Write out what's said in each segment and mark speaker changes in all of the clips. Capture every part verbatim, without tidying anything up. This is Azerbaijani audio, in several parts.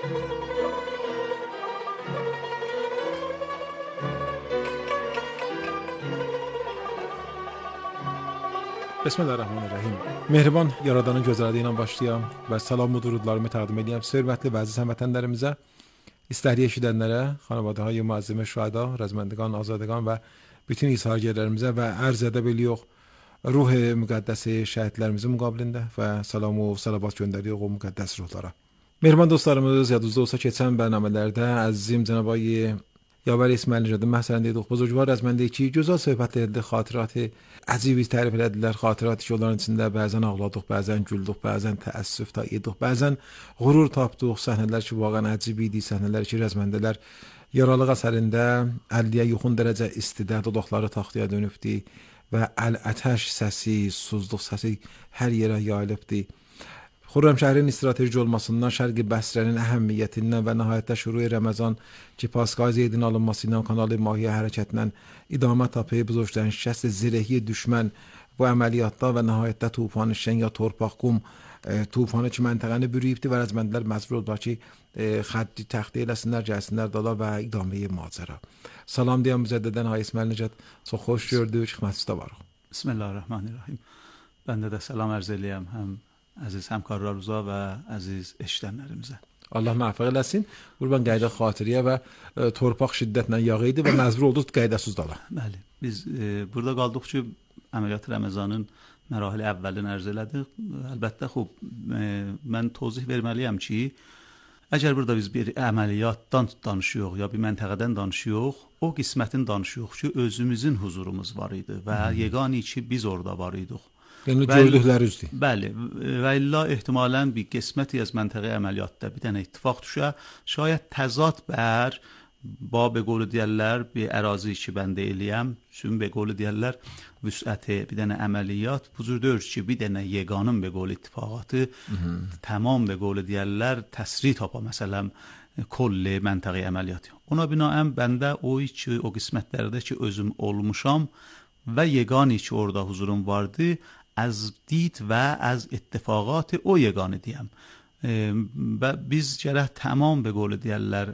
Speaker 1: Bismillahirrahmanirrahim. Mehriban Yaradanın gözəliyi ilə başlayam və salam və durudlarımı təqdim edirəm. Hörmətli və əziz həmvətənlərimizə, istəkli eşidənlərə, xanavadahay müəzzimə şühada, rəzməndiqan, azadəqan və bütün izhargərlərimizə və ərz edə biliyox ruh müqəddəsi şəhidlərimizin müqabilində və salam və salavat göndəriyox o müqəddəs ruhlara. Mehriban dostlarımız, yadınızda olsa keçən bərnamələrdə əzizim Cənab-ı Yavar İsmail Nəcədin məhsəlində idik. Buzurgvar rəzməndə ki, gözəl söhbətlərdə xatirəti əcibi tərif elədilər. Xatirəti ki, onların içində bəzən ağladıq, bəzən güldük, bəzən təəssüf da idik, bəzən qürur tapdıq. Səhnələr ki, vaqən əcibi idi, səhnələr ki, rəzməndələr yaralıq əsərində əlliyə yaxın dərəcə istidə, dodaqları taxtaya dönübdü və əl-ətəş səsi, suzluq səsi hər yerə yayılıbdı. Xürrəmşəhərin strateji olmasından, Şərqi Bəsrənin əhəmiyyətindən və nəhayətdə şurui Ramazan ki, Paskal Zeydin alınmasından, Kanalı Mahiyə hərəkətindən idamə tapıb, buzurgların şikəst zirəhi düşmən bu əməliyyatda və nəhayətdə tufanı şən ya torpaq qum e, tufanı ki, məntəqəni bürüyübdü və rəzməndilər məcbur oldular ki, e, xəddi təxti eləsinlər, gəlsinlər dala və idaməyi macəra. Salam deyəm müzəddədən Hay İsmail Nəcəd, çox xoş gördük, xidmətinizdə varıq.
Speaker 2: Bismillahirrahmanirrahim. Bəndə də salam ərz eləyəm həm əziz həmkarlarımıza və əziz eşidənlərimizə.
Speaker 1: Allah müvəffəq eləsin. Qurban qayda xatiriyə və e, torpaq şiddətlə yağı idi və məcbur olduq qaydasız dala.
Speaker 2: Bəli. Biz e, burada qaldıq ki, əməliyyat Ramazanın mərahili əvvəlini ərz elədik. Əlbəttə, xub, e, mən tozih verməliyəm ki, əgər burada biz bir əməliyyatdan danışıyoruz ya bir məntəqədən danışıyoruz, o qismətin danışıyoruz ki, özümüzün huzurumuz var idi və hmm. yegani ki, biz orada var idik.
Speaker 1: Yəni gördüklərinizdir.
Speaker 2: Bəli, və illa ehtimalən bir qisməti az məntəqə əməliyyatda bir dənə ittifaq düşə, şayət təzad bər, ba be qolu deyərlər, bir ərazi ki, mən deyiliyəm, sün be qolu deyərlər, vüsəti bir dənə əməliyyat, buzur dörd ki, bir dənə yeganın be qolu ittifaqatı, tamam be qolu deyərlər, təsri tapa, məsələn, kolli məntəqə əməliyyatı. Ona binaən bəndə o ki, o qismətlərdə ki, özüm olmuşam və yegani ki, orada huzurum vardı, از دید و از اتفاقات o yegane diyem. E, ve biz gərək tamam be qolu deyərlər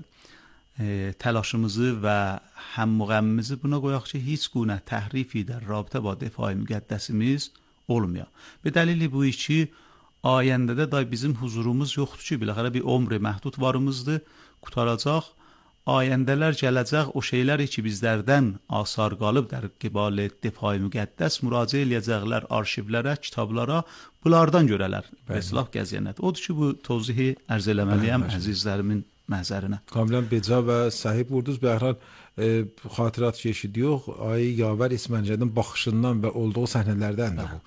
Speaker 2: e, təlaşımızı və həmmuğəmmimizi buna qoyaq ki, heç günə təhrifi də rabitə ba defai müqəddəsimiz olmuyor. Be dəlili bu ki, ayəndədə da bizim huzurumuz yoxdur ki, biləxərə bir ömrü məhdud varımızdır, qutaracaq. Ayəndələr gələcək o şeyləri ki, bizlərdən asar qalıb در qibal defai müqəddəs müraciə eləyəcəklər arşivlərə, kitablara, bunlardan görələr. Vəslah gəziyənət. Odur ki, bu tozihi ərz eləməliyəm əzizlərimin məhzərinə.
Speaker 1: Kamilən beca və sahib vurdunuz. Bəxran e, xatirat keçidiyox, ay Yavar İsmail Nəcədin baxışından və olduğu səhnələrdən də bu.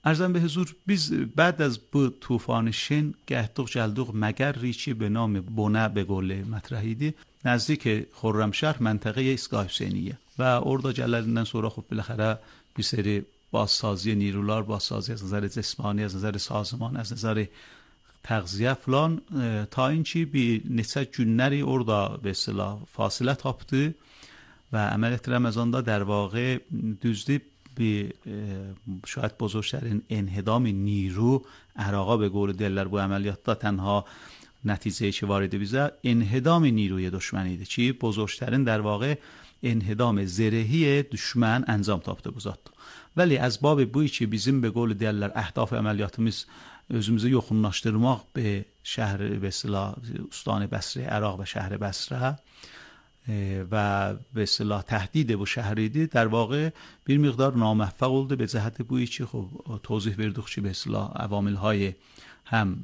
Speaker 2: ارزم به حضور biz بعد از bu طوفان شن گهدوق جلدوق مگری که به نام بونه به قول مطرحیدی نزدیک خرمشهر منطقه ایستگاه حسینیه و orada gəllərindən sonra خب بالاخره bir seri بازسازی نیروlar بازسازی از نظر جسمانی از نظر سازمان از نظر تغذیه فلان تا اینکه bir neçə günləri orada به اصطلاح فاصله tapdı و عملیات رمضاندا در واقع düzdü bir شاید بزرگترین انهدام نیرو عراقا به قول دلر bu əməliyyatda تنها نتیجه که وارد بیزه انهدام نیروی دشمنیده چی بزرگترین در واقع انهدام زرهی düşman انجام tapdı bu zat. Vəli az bab bu ki bizim به قول دلر اهداف əməliyyatımız özümüzü yoxunlaşdırmaq به şəhər به اصطلاح استان بصره عراق و شهر بصره و به اصطلاح تهدید bu şəhridir در واقع bir miqdar ناموفق oldu به جهت bu ki خب توضیح verdik ki به اصطلاح عوامل های هم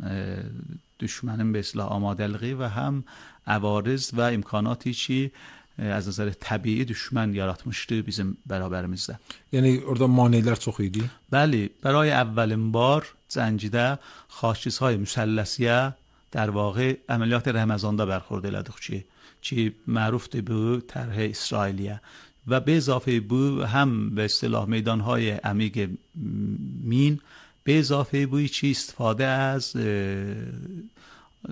Speaker 2: düşmanın به اصطلاح آمادگی و هم عوارض و امکاناتی ki از نظر طبیعی düşman yaratmıştı bizim beraberimizdə.
Speaker 1: Yəni orada maneələr çox idi.
Speaker 2: Bəli, برای اولین بار زنجیده خاکچیزهای مثلثیه در واقع عملیات رمضاندا برخورد elədik ki که معروف به طرح اسرائیلیه و به اضافه به هم به اصطلاح میدانهای عمیق مین به اضافه به چی استفاده از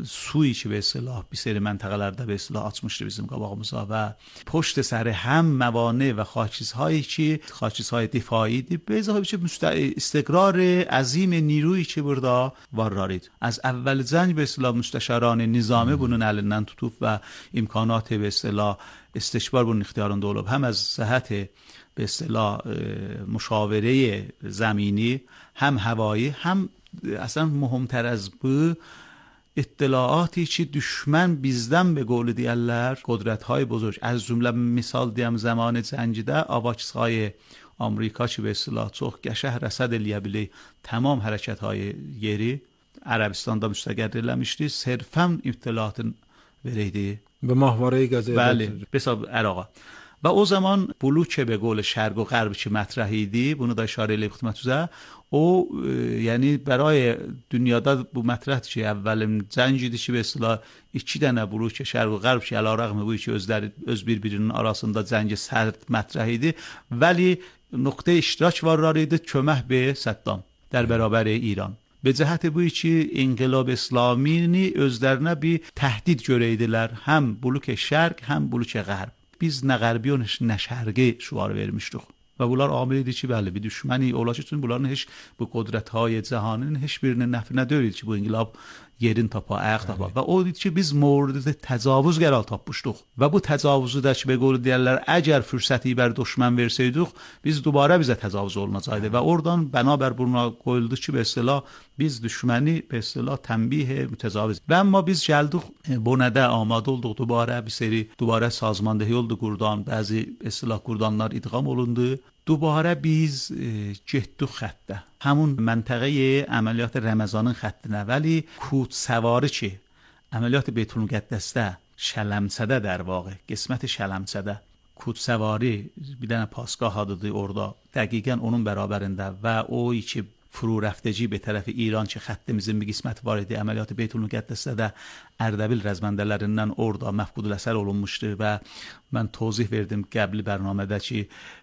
Speaker 2: suyu ki به اصطلاح bir seri منطقelerde به اصطلاح açmıştı bizim qabağımıza و پشت سر هم موانع و خاکچیزهایی که خاکچیزهای دفاعی دی به اضافه به استقرار عظیم نیرویی که burada var رارید. از اول زنگ به اصطلاح مستشاران نظامی bunun elinden tutup و امکانات به اصطلاح استشبار bunun اختیارında olub. هم از صحت به اصطلاح مشاوره زمینی هم هوایی هم اصلا مهمتر از bu اطلاعاتی که دشمن bizden به قول دیگرler قدرت‌های بزرگ از جمله مثال دیم زمان جنگیده آواچهای آمریکا که به اصطلاح çox qəşəng رسد eləyə bili tamam hərəkətهای yeri Ərəbistanda müstəqər eləmişdi. Sırfən اطلاعاتın vereydi.
Speaker 1: به ماهواره غزه
Speaker 2: بله به حساب عراق. و o zaman بلوک به قول شرق و غرب که مطرحیدی bunu da اشاره eləyib xidmətinizə o yəni برای dünyada bu mətrəhdir ki, əvvəlin cəng idi ki, به اصطلاح iki dənə بلوک şərq və qərb ki, əlarəğmə bu ki, özləri öz bir-birinin arasında cəng sərt mətrəh idi. ولی نقطه اشتراک var idi kömək به صدام در برابر ایران. به جهت بوی ki انقلاب اسلامini özlərinə bir təhdid görəydilər. Həm بلوک şərq, həm بلوک غرب. Biz nə qərbi nə şərqi şuarı vermişdik. Və bunlar amil idi ki, bəli, bir düşməni ola ki, bunların heç bu qudrətهای cəhaninin heç birinin nəfinə deyildi ki, bu inqilab yerin tapa, ayaq tapa. Və o idi ki, biz mورد təcavüz qərar tapmışdıq. Və bu təcavüzü də ki, به قول deyirlər, əgər fürsəti bər düşmən versəydik, biz dubara bizə təcavüz olunacaqdı. Və oradan bənabər buna qoyuldu ki, به اصطلاح biz düşməni به اصطلاح تنبیه متجاوز. Və amma biz gəldik bu nədə amadə olduq dubara bir seri dubara sazmandehi oldu qurdan, bəzi به اصطلاح qurdanlar idğam olundu. دوباره biz getdik xəttə. Həmin məntəqəyə əməliyyat Ramazanın xəttinə ولی کود سواری ki əməliyyat Beytülmüqəddəsdə Şələmsədə در واقع qismət Şələmsədə کود سواری bir dənə پاسگاه adıdır orada. Dəqiqən onun bərabərində və o ki فرو رفتگی به طرف ایران که خطimizin bir qisməti var idi. Əməliyyat Beytülmüqəddəsdə də Ərdəbil rəzməndələrindən orada məfqudul əsər olunmuşdu və mən tozih verdim qəbli bərnamədə ki,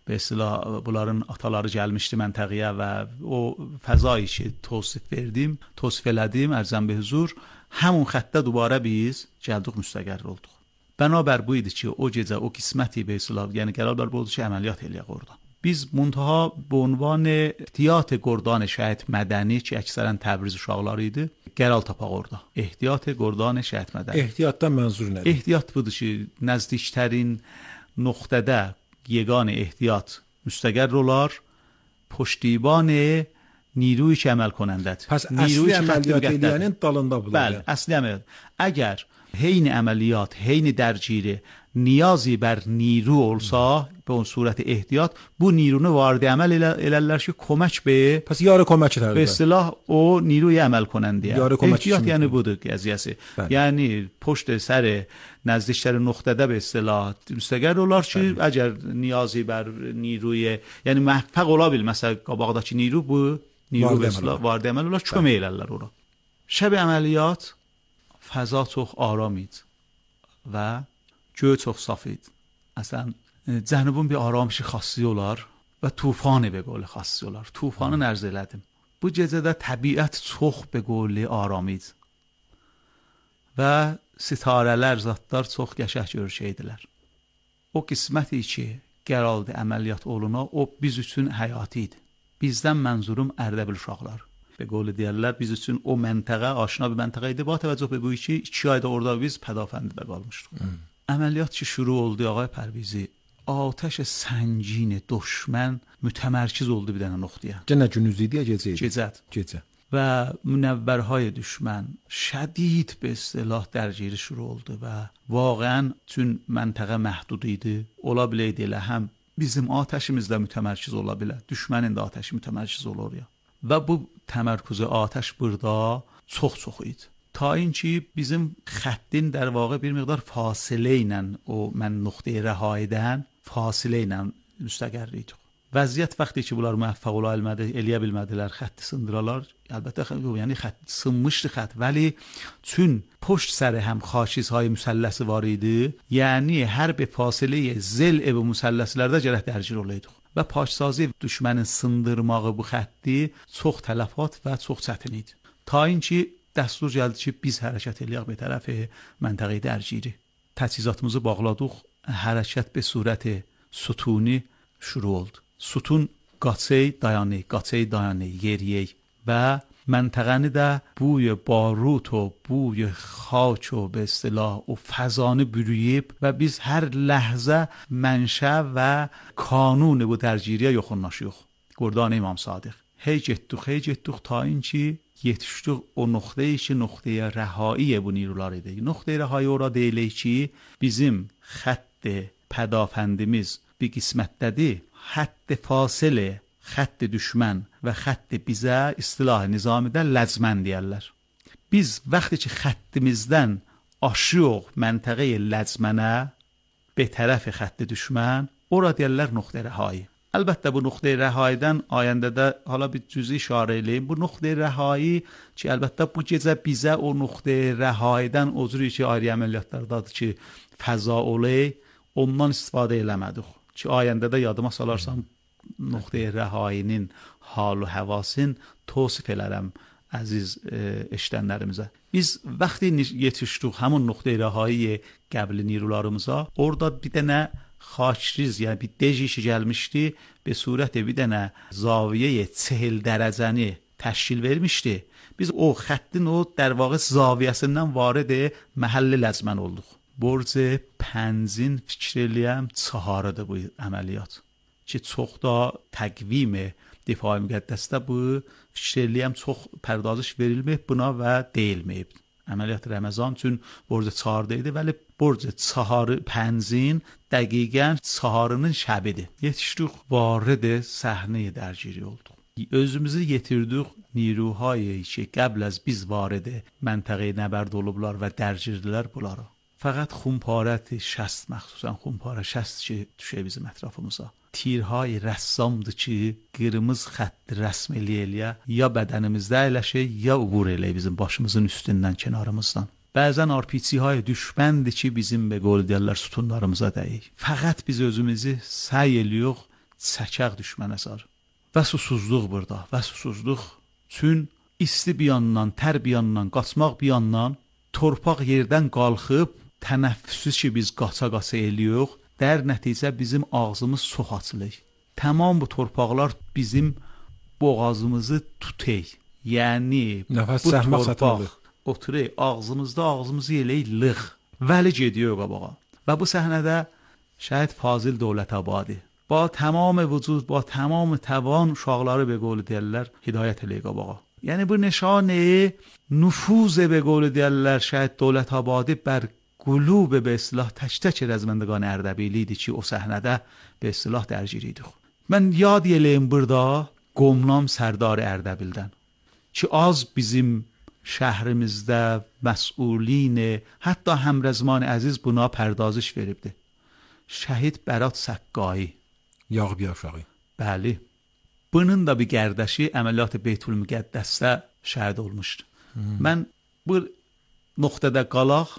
Speaker 2: به اصطلاح bunların ataları gəlmişdi məntəqəyə və o fəzayı ki tozif verdim, tozif elədim ərzəm به huzur. Həmin xəttdə دوباره biz gəldik müstəqər olduq. Bənabər bu idi ki, o gecə o qisməti به اصطلاح yəni qərar bər oldu ki, əməliyyat eləyək orada. biz منتها به عنوان احتیاط گردان شهید مدنی که اکثرا تبریز uşaqları idi qərar tapaq orada. احتیاط گردان شهید مدنی.
Speaker 1: احتیاطdan mənzur nədir?
Speaker 2: احتیاط budur ki, nəzdiklərin nöqtədə yeganə ehtiyat müstəqər olar, پشتیبان نیروی که عمل کنندت.
Speaker 1: پس اصلی عملیات eləyənin dalında budur.
Speaker 2: بله، اصلی عملیات. اگر حین عملیات، حین درگیری نیازی بر نیرو olsa به اون صورت احتیاط bu نیرونو وارد عمل elərlər ki, kömək به
Speaker 1: پس یار کمک
Speaker 2: به اصطلاح o نیروی عمل کننده. احتیاط یعنی budur qəziyyəsi. Yəni پشت سر نزدیکتر نقطədə به اصطلاح müstəqər olar ki, əgər نیازی بر نیروی yəni موفق ola bil məsəl qabaqdakı نیرو bu نیرو به اصطلاح وارد عمل olar, kömək elərlər ora. شب عملیات فضا çox آرام idi və göy çox saf idi. Əslən cənubun bir arayışı xassi olar və tufanı به قول xassi olar. Tufanı nərz elədim. Bu gecədə təbiət çox به قول آرام idi. Və sitarələr, zatlar çox qəşəng görüşəydilər. O qisməti ki, qərardı əməliyyat oluna, o biz üçün həyati idi. Bizdən mənzurum Ərdəbil uşaqlar. به قول deyirlər, biz üçün o məntəqə aşina bir məntəqə idi. با توجه به bu ki, iki ayda orada biz pədafəndidə qalmışdıq. Əməliyyat ki şuru oldu ağay Pərvizi. Ateş سنگین دشمن mütəmərkiz oldu bir dənə nöqtəyə.
Speaker 1: Gecə gündüz idi ya gecə idi?
Speaker 2: Gecə.
Speaker 1: Gecə.
Speaker 2: Və münəvvərهای düşmən şədid به اصطلاح درگیری شروع oldu və واقعا چون məntəqə məhdud idi, ola biləydi elə həm bizim atəşimiz də mütəmərkiz ola bilər, düşmənin də atəşi mütəmərkiz olur ya. Və bu təmərküzü atəş burada çox-çox idi. تا اینکه bizim xəttin در واقع bir miqdar fasilə ilə o mən nöqtəyə rəhayədən fasilə ilə müstəqər idik. Vəziyyət vaxtı ki bunlar müvəffəq ola bilmədi, eləyə bilmədilər, xətti sındıralar. Əlbəttə yəni xətt sınmışdı xətt, ولی چون پشت سر هم خاکچیزهای مثلثی var idi, yəni hər bir fasilə zil ev مثلثlərdə gərək dərgir olaydı. Və paşsazı düşmənin sındırmağı bu xətti çox tələfat və çox çətin idi. Ta اینکه dəstur gəldi ki, biz hərəkət eləyək به طرف منطقه درگیری. تجهیزاتımızı bağladıq. Hərəkət به صورت sütuni şuru oldu. Sütun qaçey dayanı, qaçey dayanı yeriyək və منطقəni də بوی باروت و بوی خاک و به اصطلاح و فضانه bürüyüb və biz hər ləhzə mənşə və kanun bu dərgiriyə yoxunlaşıyıq. Qurdan İmam Sadiq. Hey getdik, hey getdik ta اینکه yetişdik o nöqtəyə ki, nöqtəyə rəhai bu نیروlar idi. Nöqtəyə rəhai ora deyilir ki, bizim xətt pədafəndimiz bir qismətdədir. Xətt fasilə xətt düşmən və xətt bizə istilah nizamidə ləzmən deyərlər. Biz vaxtı ki xəttimizdən aşıyıq məntəqə ləzmənə به طرف xətt düşmən, ora deyərlər nöqtə rəhai. Əlbəttə bu nöqtə rəhaidən ayəndə də hala bir cüzi işarə eləyim. Bu nöqtə rəhai ki, əlbəttə bu gecə bizə o nöqtə rəhaidən o cür ki, ayrı əməliyyatlardadır ki, fəza olay, ondan istifadə eləmədik. Ki ayəndə də yadıma salarsam nöqtə rəhainin hal və həvasin tövsif elərəm əziz e, eşidənlərimizə. Biz vaxtı yetişdik həmin nöqtə rəhai qəbli نیروlarımıza, orada bir dənə xaçriz, yəni bir dejişi gəlmişdi, به صورت bir dənə zaviyə çehil dərəcəni təşkil vermişdi. Biz o xəttin o در واقع zaviyəsindən varid məhəlli ləzmən olduq. Borc pənzin fikir eləyəm çaharıdır bu əməliyyat. Ki çox da təqvim difai müqəddəsdə bu fikir eləyəm çox pərdazış verilməyib buna və deyilməyib. Əməliyyat Ramazan üçün borc çaharda idi, vəli borc çaharı pənzin dəqiqən çaharının şəbidir. Yetişdik varid səhnəyə dərgiri olduq. Özümüzü yetirdik نیروهایی ki قبل از biz varid məntəqəyə nəbərd olublar və dərgirdilər bunları. Fəqət xumparət şəst, məxsusən xumparə şəst ki düşə bizim ətrafımıza. Tirhay rəssamdır ki qırmızı xətt rəsm eləyə ya bədənimizdə əyləşir ya ubur eləyə bizim başımızın üstündən, kənarımızdan. Bəzən arpiçi های düşməndir ki bizim به قول deyirlər sütunlarımıza dəyir. Fəqət biz özümüzü səy eləyirik çəkək düşmənə sar. Və susuzluq burada, və susuzluq. Çün isti bir yandan, tər bir yandan, qaçmaq bir yandan, torpaq yerdən qalxıb tənəffüsü ki biz qaça-qaça eləyirik, در nəticə bizim ağzımız çox açılır. Tamam bu torpaqlar bizim boğazımızı tutay. Yəni
Speaker 1: nəfəs
Speaker 2: bu
Speaker 1: səhmaq
Speaker 2: torpaq
Speaker 1: satılır.
Speaker 2: oturur ağzımızda, ağzımızı eləyir lığ. Vəli gediyor qabağa. Və bu səhnədə şəhid Fazil Dövlətəbadi با تمام وجود با تمام توان uşaqları به قول deyirlər hidayət eləyir qabağa. Yəni bu nişanə nüfuz به قول deyirlər şəhid Dövlətəbadi bər قلوب به اصطلاح تک تک رزمندگان اردبیلی idi ki o səhnədə به اصطلاح dərgir idik. Mən yad eləyim burada Qomlam Sərdar Ərdəbildən ki az bizim şəhrimizdə məsulin hətta Həmrəzman Əziz buna pərdazış veribdi. Şəhid Bərat Səqqai
Speaker 1: Yağıb Yavşağı.
Speaker 2: Bəli. Bunun da bir gərdəşi əməliyyat Beytül Müqəddəsdə şəhid olmuşdu. Hmm. Mən bu nöqtədə qalaq,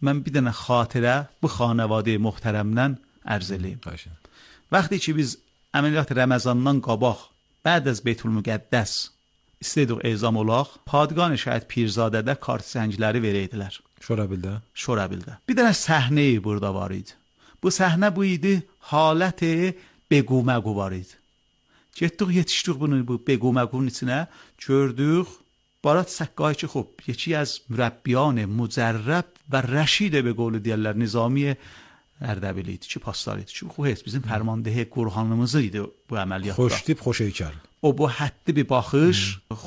Speaker 2: mən bir dənə xatirə bu xanəvadə möhtərəmdən ərz eləyim. Vaxtı ki biz əməliyyat Ramazandan qabaq, بعد از Beytül Müqəddəs istədik ezam olaq, padqan şəhid Pirzadədə kart səngləri verəydilər.
Speaker 1: Şorabildə.
Speaker 2: Şorabildə. Bir dənə səhnə burada var idi. Bu səhnə bu idi, halət بگو مگو var idi. Getdik, yetişdik bunu bu بگو مگو'nun içinə, gördük Barat Səqqai ki خب یکی از مربیان مجرب و رشید به قول deyirlər Nizami Ərdəbili idi ki, paslar idi ki, bu heç bizim fərmandehi Qur'anımız idi bu əməliyyatda.
Speaker 1: Xoştip, xoş heykəl.
Speaker 2: O bu həddi bir baxış,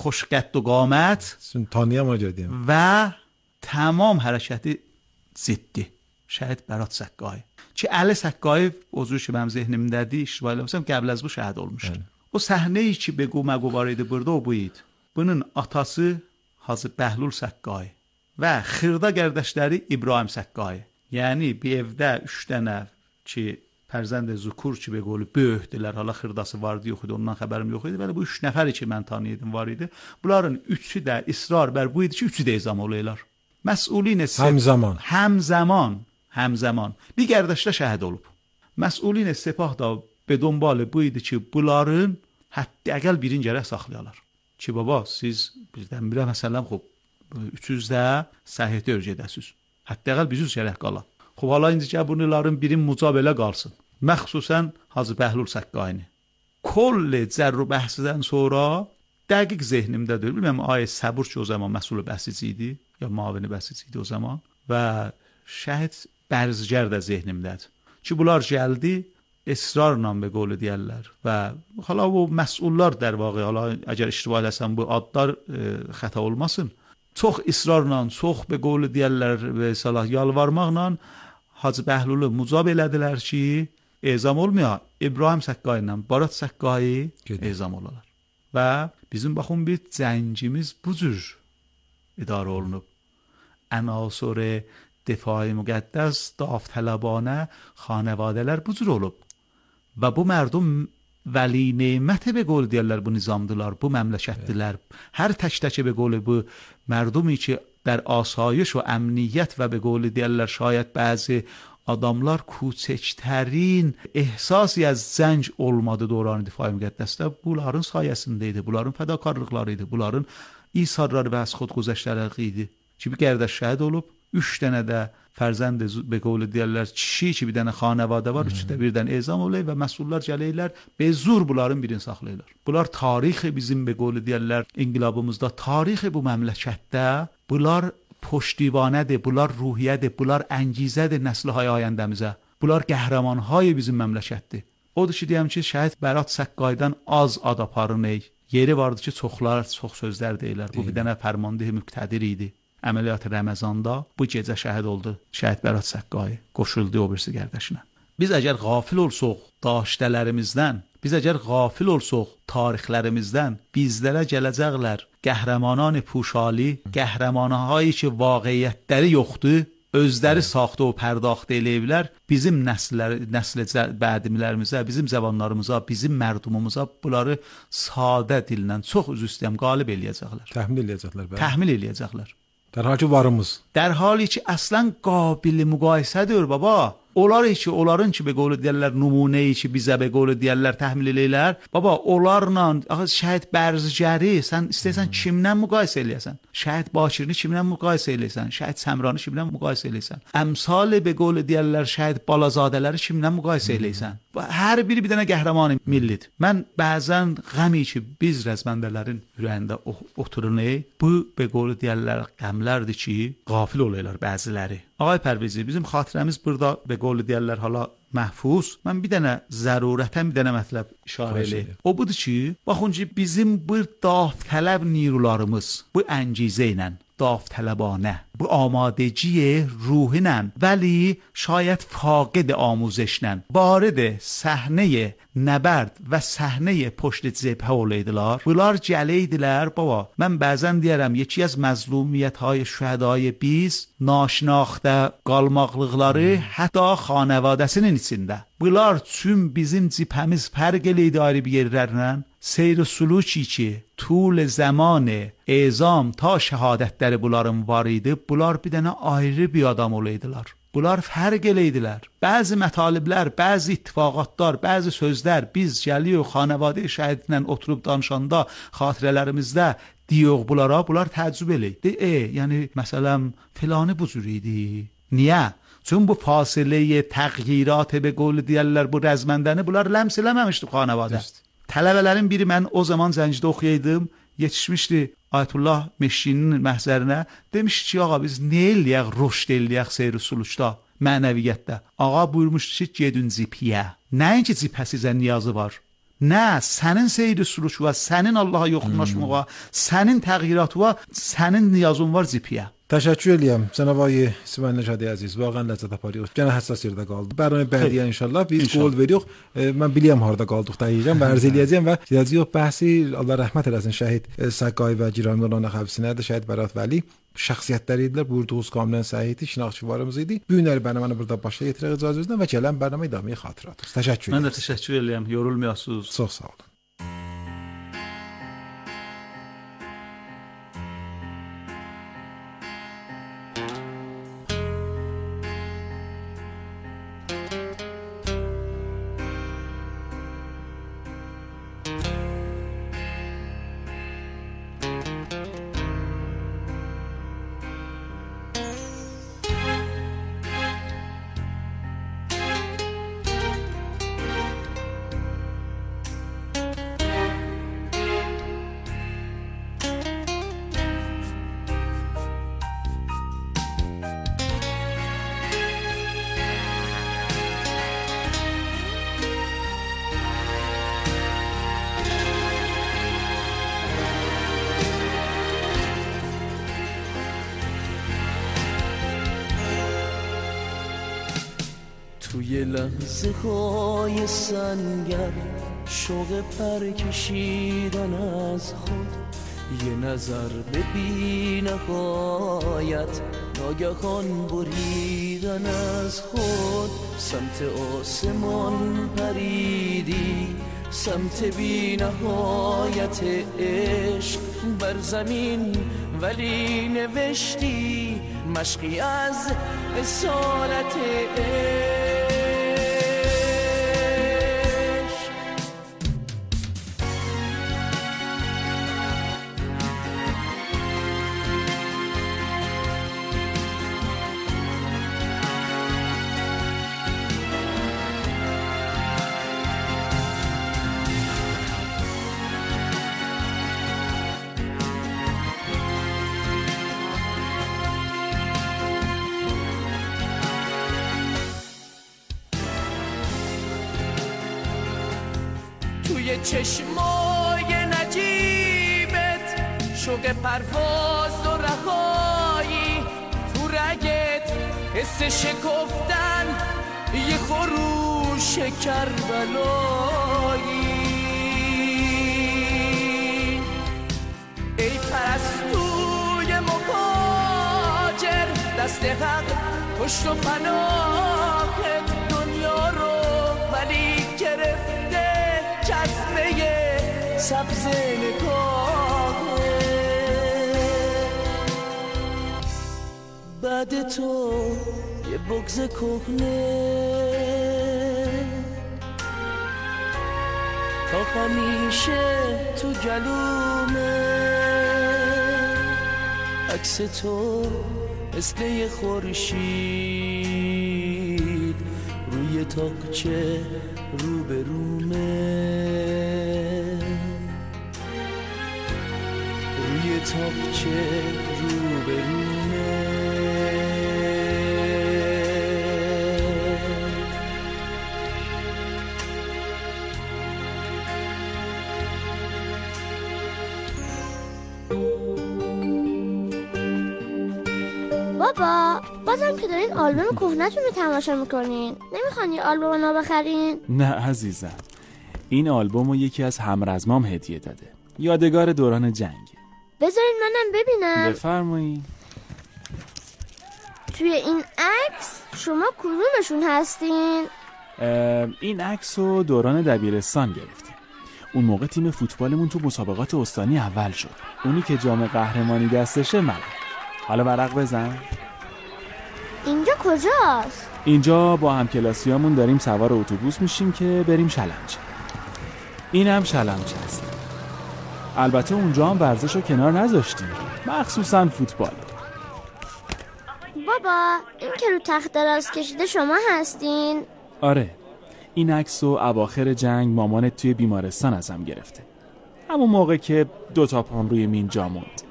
Speaker 2: xoş qədd و qamət
Speaker 1: tanıyam ona görə deyim.
Speaker 2: Və tamam hərəkəti ciddi. Şəhid Barat Səqqai. Ki Əli Səqqai o cür ki mənim zehnimdədir, iştibar eləmişəm, qəbl az bu şəhid olmuşdu. O səhnəyi ki بگو مگو var idi burada o bu idi. Bunun atası Hacı Bəhlul Səqqai və xırda qardaşları İbrahim Səqqai. Yəni bir evdə üç dənə ki fərzənd zukur ki به قول böyükdülər, hala xırdası vardı, yox idi, ondan xəbərim yox idi. Bəli bu üç nəfəri ki mən tanıyırdım var idi. Bunların üçü də israr bər bu idi ki, üçü də ezam olaylar. Məsulin
Speaker 1: həmzaman.
Speaker 2: Həmzaman, həmzaman. Bir qardaş da şəhid olub. Məsulin sepah da به دنبال bu idi ki, bunların hətta əgəl birin gərək saxlayalar. Ki baba siz birdən-birə məsələn xop üç yüzdə səhiyyə gedəsiz. Hətta bir yüz gərək qala. Xub hala indicə bunların birin mucab elə qalsın. Məxsusən Hacı Bəhlul Səqqayini. Kolli cərru bəhsidən sonra dəqiq zehnimdədir. Bilməm ay Səbur ki o zaman məsul bəhsici idi ya mavini bəhsici idi o zaman və Şəhid Bərzgər də zehnimdədir. Ki bunlar gəldi israrla be qolu deyirlər və hala o məsullar در واقع hala əgər iştiba eləsəm bu adlar e, xəta olmasın. Çox israrla, çox be qolu deyirlər və salah yalvarmaqla Hacı Bəhlulu mucab elədilər ki ezam olmaya İbrahim Səqqayi ilə Barat Səqqayi ezam olalar. Və bizim baxın bir cəngimiz bu cür idarə olunub. Ənasur difai müqəddəs daftələbanə xanevadələr bu cür olub. Və bu mərdum vəli neymətə be qol deyirlər bu nizamdılar, bu məmləkətdilər. Hər tək-təkə be qolu bu mərdumi ki در آسایش و امنیت و به قول دیگر شاید بعضی adamlar کوچکترین احساسی از زنج olmadı dövrani difai müqəddəsdə bunların sayəsində idi, bunların fədakarlıqları idi, bunların isarları və az xodguzəştləri idi. Ki bir qardaş şəhid olub, üç dənə də fərzənd be qول deyirlər kişi ki bir dənə xanəvadə var, üç də birdən ezam olay və məsullar gəlirlər, be zur bunların birini saxlayırlar. Bunlar tarixi bizim be qول deyirlər inqilabımızda, tarixi bu məmləkətdə bunlar پشتیبانه، bunlar ruhiyyədir, bunlar əngizədir nəsli-hay ayəndəmizə. Bunlar qəhrəmanhay bizim məmləkətdir. Odur ki, deyəm ki, şəhid Bərat Səqqaydan az ad aparın ey. Yeri vardı ki, çoxlar, çox sözlər deyirlər. Bu bir dənə fərmandehi müqtədir idi. Əməliyyat Ramazanda bu gecə şəhid oldu. Şəhid Bərat Səqqayi qoşuldu o birisi qardaşına. Biz əgər qafil olsaq daştələrimizdən, biz əgər qafil olsaq tarixlərimizdən, bizlərə gələcəklər qəhrəmanان puşali, qəhrəmanahایی ki vaqiyyətləri yoxdur, özləri saxta o pərdاخت eləyiblər, bizim nəsillər, nəsl bədimlərimizə, bizim zəvanlarımıza, bizim mərdumumuza bunları sadə dillə çox üzü istəyəm qalib eləyəcəklər.
Speaker 1: Təhmil eləyəcəklər. Bəli.
Speaker 2: Təhmil eləyəcəklər.
Speaker 1: در حالی ki varımız.
Speaker 2: در حالی ki əslən qabil müqayisədir baba. Onlar ki, onların ki be qolu deyirlər nümunəyi ki bizə be qolu deyirlər təhmil eləyirlər. Baba, onlarla axı şəhid Bərzgəri sən istəsən hmm. kimdən müqayisə eləyəsən? Şəhid Bakirini kimdən müqayisə eləyəsən? Şəhid Səmrani kimdən müqayisə eləyəsən? Əmsal be qolu deyirlər şəhid Balazadələri kimdən müqayisə eləyəsən? Hər biri bir dənə qəhrəman millidir. Mən bəzən qəmi ki biz rəzməndələrin ürəyində oturunay, bu be qolu deyirlər qəmlərdir ki, qafil olaylar bəziləri. Ağay Pərvizi, bizim xatirəmiz burada be qolu deyirlər hala məhfuz. Mən bir dənə zərurətən bir dənə mətləb işarə eləyim. O budur ki, baxın ki bizim bir daftələb nirularımız bu əngizə ilə daftələbanə, bu آمادگی روحینə ولی شاید فاقد آموزشنن وارد صحنه نبرد و صحنه پشت جبهه olaydılar. Bunlar gələyidilər baba. Mən bəzən deyərəm yeki az məzlumiyyətهای şühədای biz naşnaxta qalmaqlıqları hətta xanavadəsinin içində. Bunlar tüm bizim cibhəmiz fərq eləydi ayrı bir yerlərlə. Seyr-i suluki ki طول zaman ezam ta şəhadətləri bunların var idi. Bunlar bir dənə ayrı bir adam olaydılar. Bunlar fərq eləydilər. Bəzi mətaliblər, bəzi ittifaqatlar, bəzi sözlər biz gəliyor xanəvadə şəhidlə oturub danışanda xatirələrimizdə diyoq bunlara, bunlar təəccüb eləydi. E, yəni məsələn filanı bu cür idi. Niyə? Çün bu fasiləyə təğyirat be qول deyirlər bu rəzməndəni bunlar ləms eləməmişdi xanəvadə. Tələbələrin biri mən o zaman Zəncidə oxuyaydım, yetişmişdi Ayətullah Meşkinin məhzərinə, demiş ki, ağa biz nə eləyək, rüşd eləyək seyr-i suluçda, mənəviyyətdə. Ağa buyurmuşdu ki, gedin ciphiyə. Nəyin ki ciphə sizə niyazı var? Nə, sənin seyr-i suluç var, sənin Allaha yoxunlaşmağa, sənin təğyiratı var, sənin niyazın var ciphiyə.
Speaker 1: Təşəkkür eləyəm cənab ağay İsmail Nəşadi əziz. Vaqəən ləzzət aparıyoruz. Gənə həssas yerdə qaldı. Bərabərin bədiyə inşallah biz qol veririk. E, mən bilirəm harda qaldıq dəqiqən və ərz eləyəcəm və yazıyor bəhsi Allah rəhmət eləsin şəhid Səqqayi və Giranlılarına həbsinə də şəhid Bərat Vəli şəxsiyyətləri idilər. Buyurduğunuz kamilən səhiydi, şinaxçıvarımız idi. Bu günləri bərnaməni burada başa yetirək icazənizlə və gələn bərnamə idamə xatirətiniz. Təşəkkür edirəm.
Speaker 2: Mən də təşəkkür eləyəm. Yorulmayasınız.
Speaker 1: Çox sağ olun.
Speaker 3: توی لحظه های سنگر شوق پر کشیدن از خود، یه نظر به بی نهایت ناگهان بریدن از خود. سمت آسمان پریدی، سمت بی نهایت عشق بر زمین، ولی نوشتی مشقی از اسارت عشق. توی چشمای نجیبت شوق پرواز و رهایی، تو رگت حس شکفتن یه خروش کربلایی. ای پرستوی مهاجر، دست حق پشت و پناهت دنیا رو ولی گرفته جذبه سبز نگاهه. بعد تو یه بغض کهنه تا همیشه تو گلومه. عکس تو مثل یه خورشید روی تاقچه رو به رومه، روی تاقچه رو به رومه.
Speaker 4: بابا بازم که دارین آلبوم کهنه‌تون رو تماشا میکنین، نمیخوان یه آلبوم نو بخرین؟
Speaker 5: نه عزیزم، این آلبوم رو یکی از همرزمام هدیه داده، یادگار دوران جنگه.
Speaker 4: بذارین منم ببینم.
Speaker 5: بفرمایید.
Speaker 4: توی این عکس شما کدومشون هستین؟
Speaker 5: این عکس رو دوران دبیرستان گرفتیم. اون موقع تیم فوتبالمون تو مسابقات استانی اول شد. اونی که جام قهرمانی دستشه منم. حالا ورق بزن.
Speaker 4: اینجا کجاست؟
Speaker 5: اینجا با همکلاسیامون داریم سوار اتوبوس میشیم که بریم شلمچه. این هم شلمچه است. البته اونجا هم ورزش رو کنار نذاشتیم، مخصوصا فوتبال.
Speaker 4: بابا این که رو تخت دراز کشیده شما هستین؟
Speaker 5: آره، این عکس رو اواخر جنگ مامانت توی بیمارستان ازم گرفته، همون موقع که دوتا پام روی مین جا موند.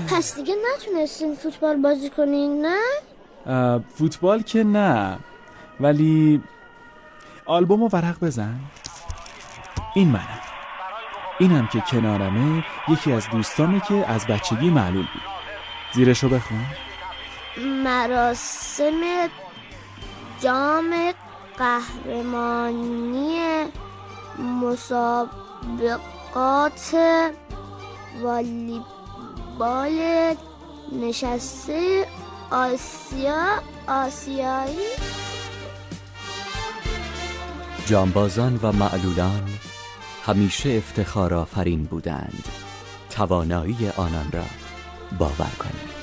Speaker 4: پس دیگه نتونستین فوتبال بازی کنین نه؟
Speaker 5: فوتبال که نه، ولی آلبوم رو ورق بزن. این منم. اینم که کنارمه یکی از دوستامه که از بچگی معلول بود. زیرشو بخون.
Speaker 4: مراسم جام قهرمانی مسابقات والیبال نشسته آسیا آسیایی.
Speaker 6: جانبازان و معلولان همیشه افتخار آفرین بودند. توانایی آنان را باور کنید.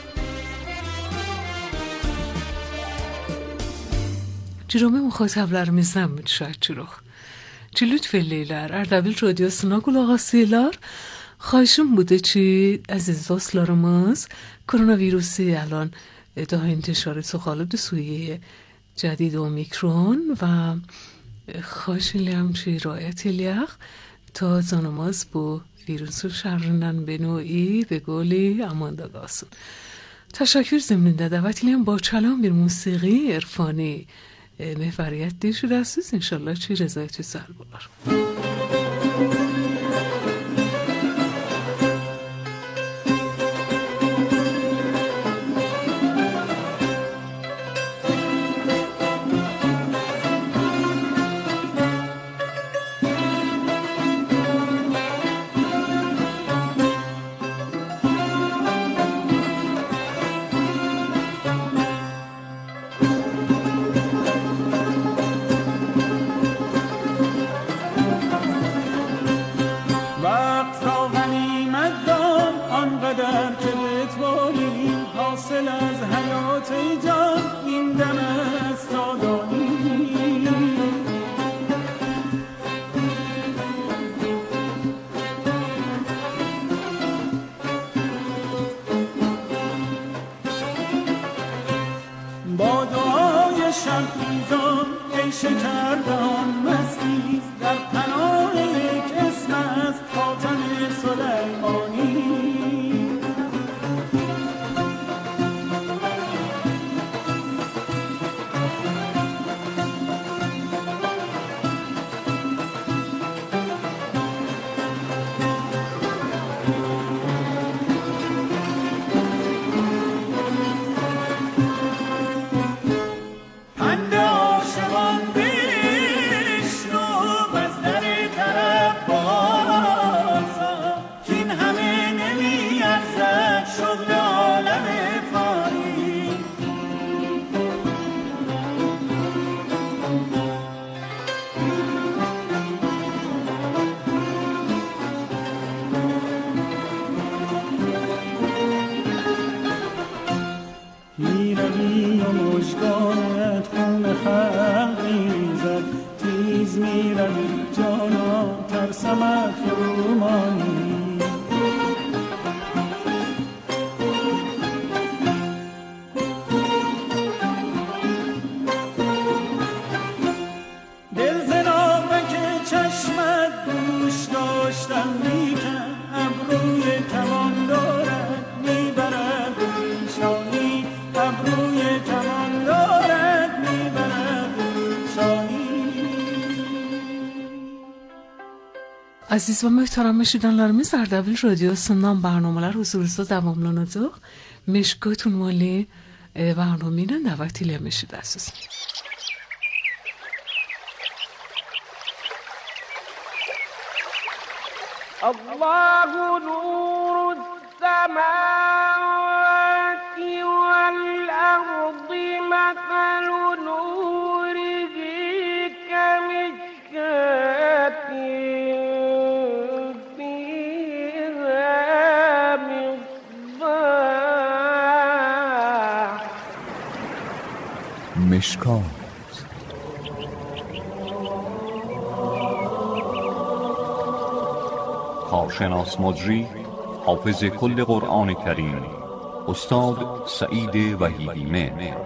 Speaker 7: Cürome muhatablarımızdan şahçırıq. Lütfelləylər, Ərdəbil Radiosuna qulaq asırlar. Xahişim budur ki, əziz dostlarımız, koronavirusi الان daha انتشارش غالب سویه جدید اومیکرون و خواهش الیم که رعایت الیق تا زانماز با ویروس شرنن به نوعی به گولی امان داداسون. تشکر زمینده دعوت الیم با کلام bir موسیقی عرفانی محوریت دیش رسیز انشالله چی رضایتی سر بولار.
Speaker 8: شب‌خیزان ای شکردان مستی در پناه یک اسم است خاتم سلیمانی.
Speaker 7: Aziz və möhtərəm eşidənlərimiz, Ərdəbil Radiosundan برنامه‌lər huzurunuzda davamlanacaq. Meşkat ünvanlı برنامه ilə dəvət eləmişsiniz.
Speaker 9: Allahu nurus semawati vel ardi mathalu nurihi kemishkatin
Speaker 6: مشکات. کارشناس مجری حافظ کل قرآن کریم استاد سعید وحیدی مهر.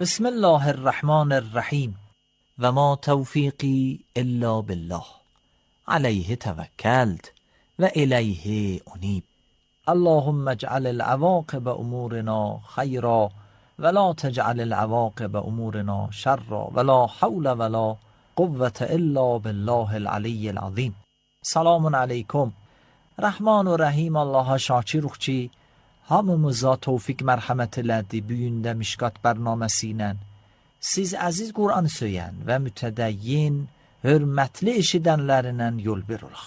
Speaker 10: بسم الله الرحمن الرحیم و ما توفیقی الا بالله علیه توکلت و الیه انیب. اللهم اجعل العواقب امورنا خیرا ولا تجعل العواقب امورنا شرا ولا حول ولا قوة الا بالله العلی العظیم. Selamun aleyküm. Rahman ve Rahim Allah'a şakiruq hamımıza tevfik mərhəmət elədi bu gün də Mişkat bərnaməsi ilə. Siz əziz Qur'an söyən və mütədəyyin, hörmətli eşidənlərindən yol verirək.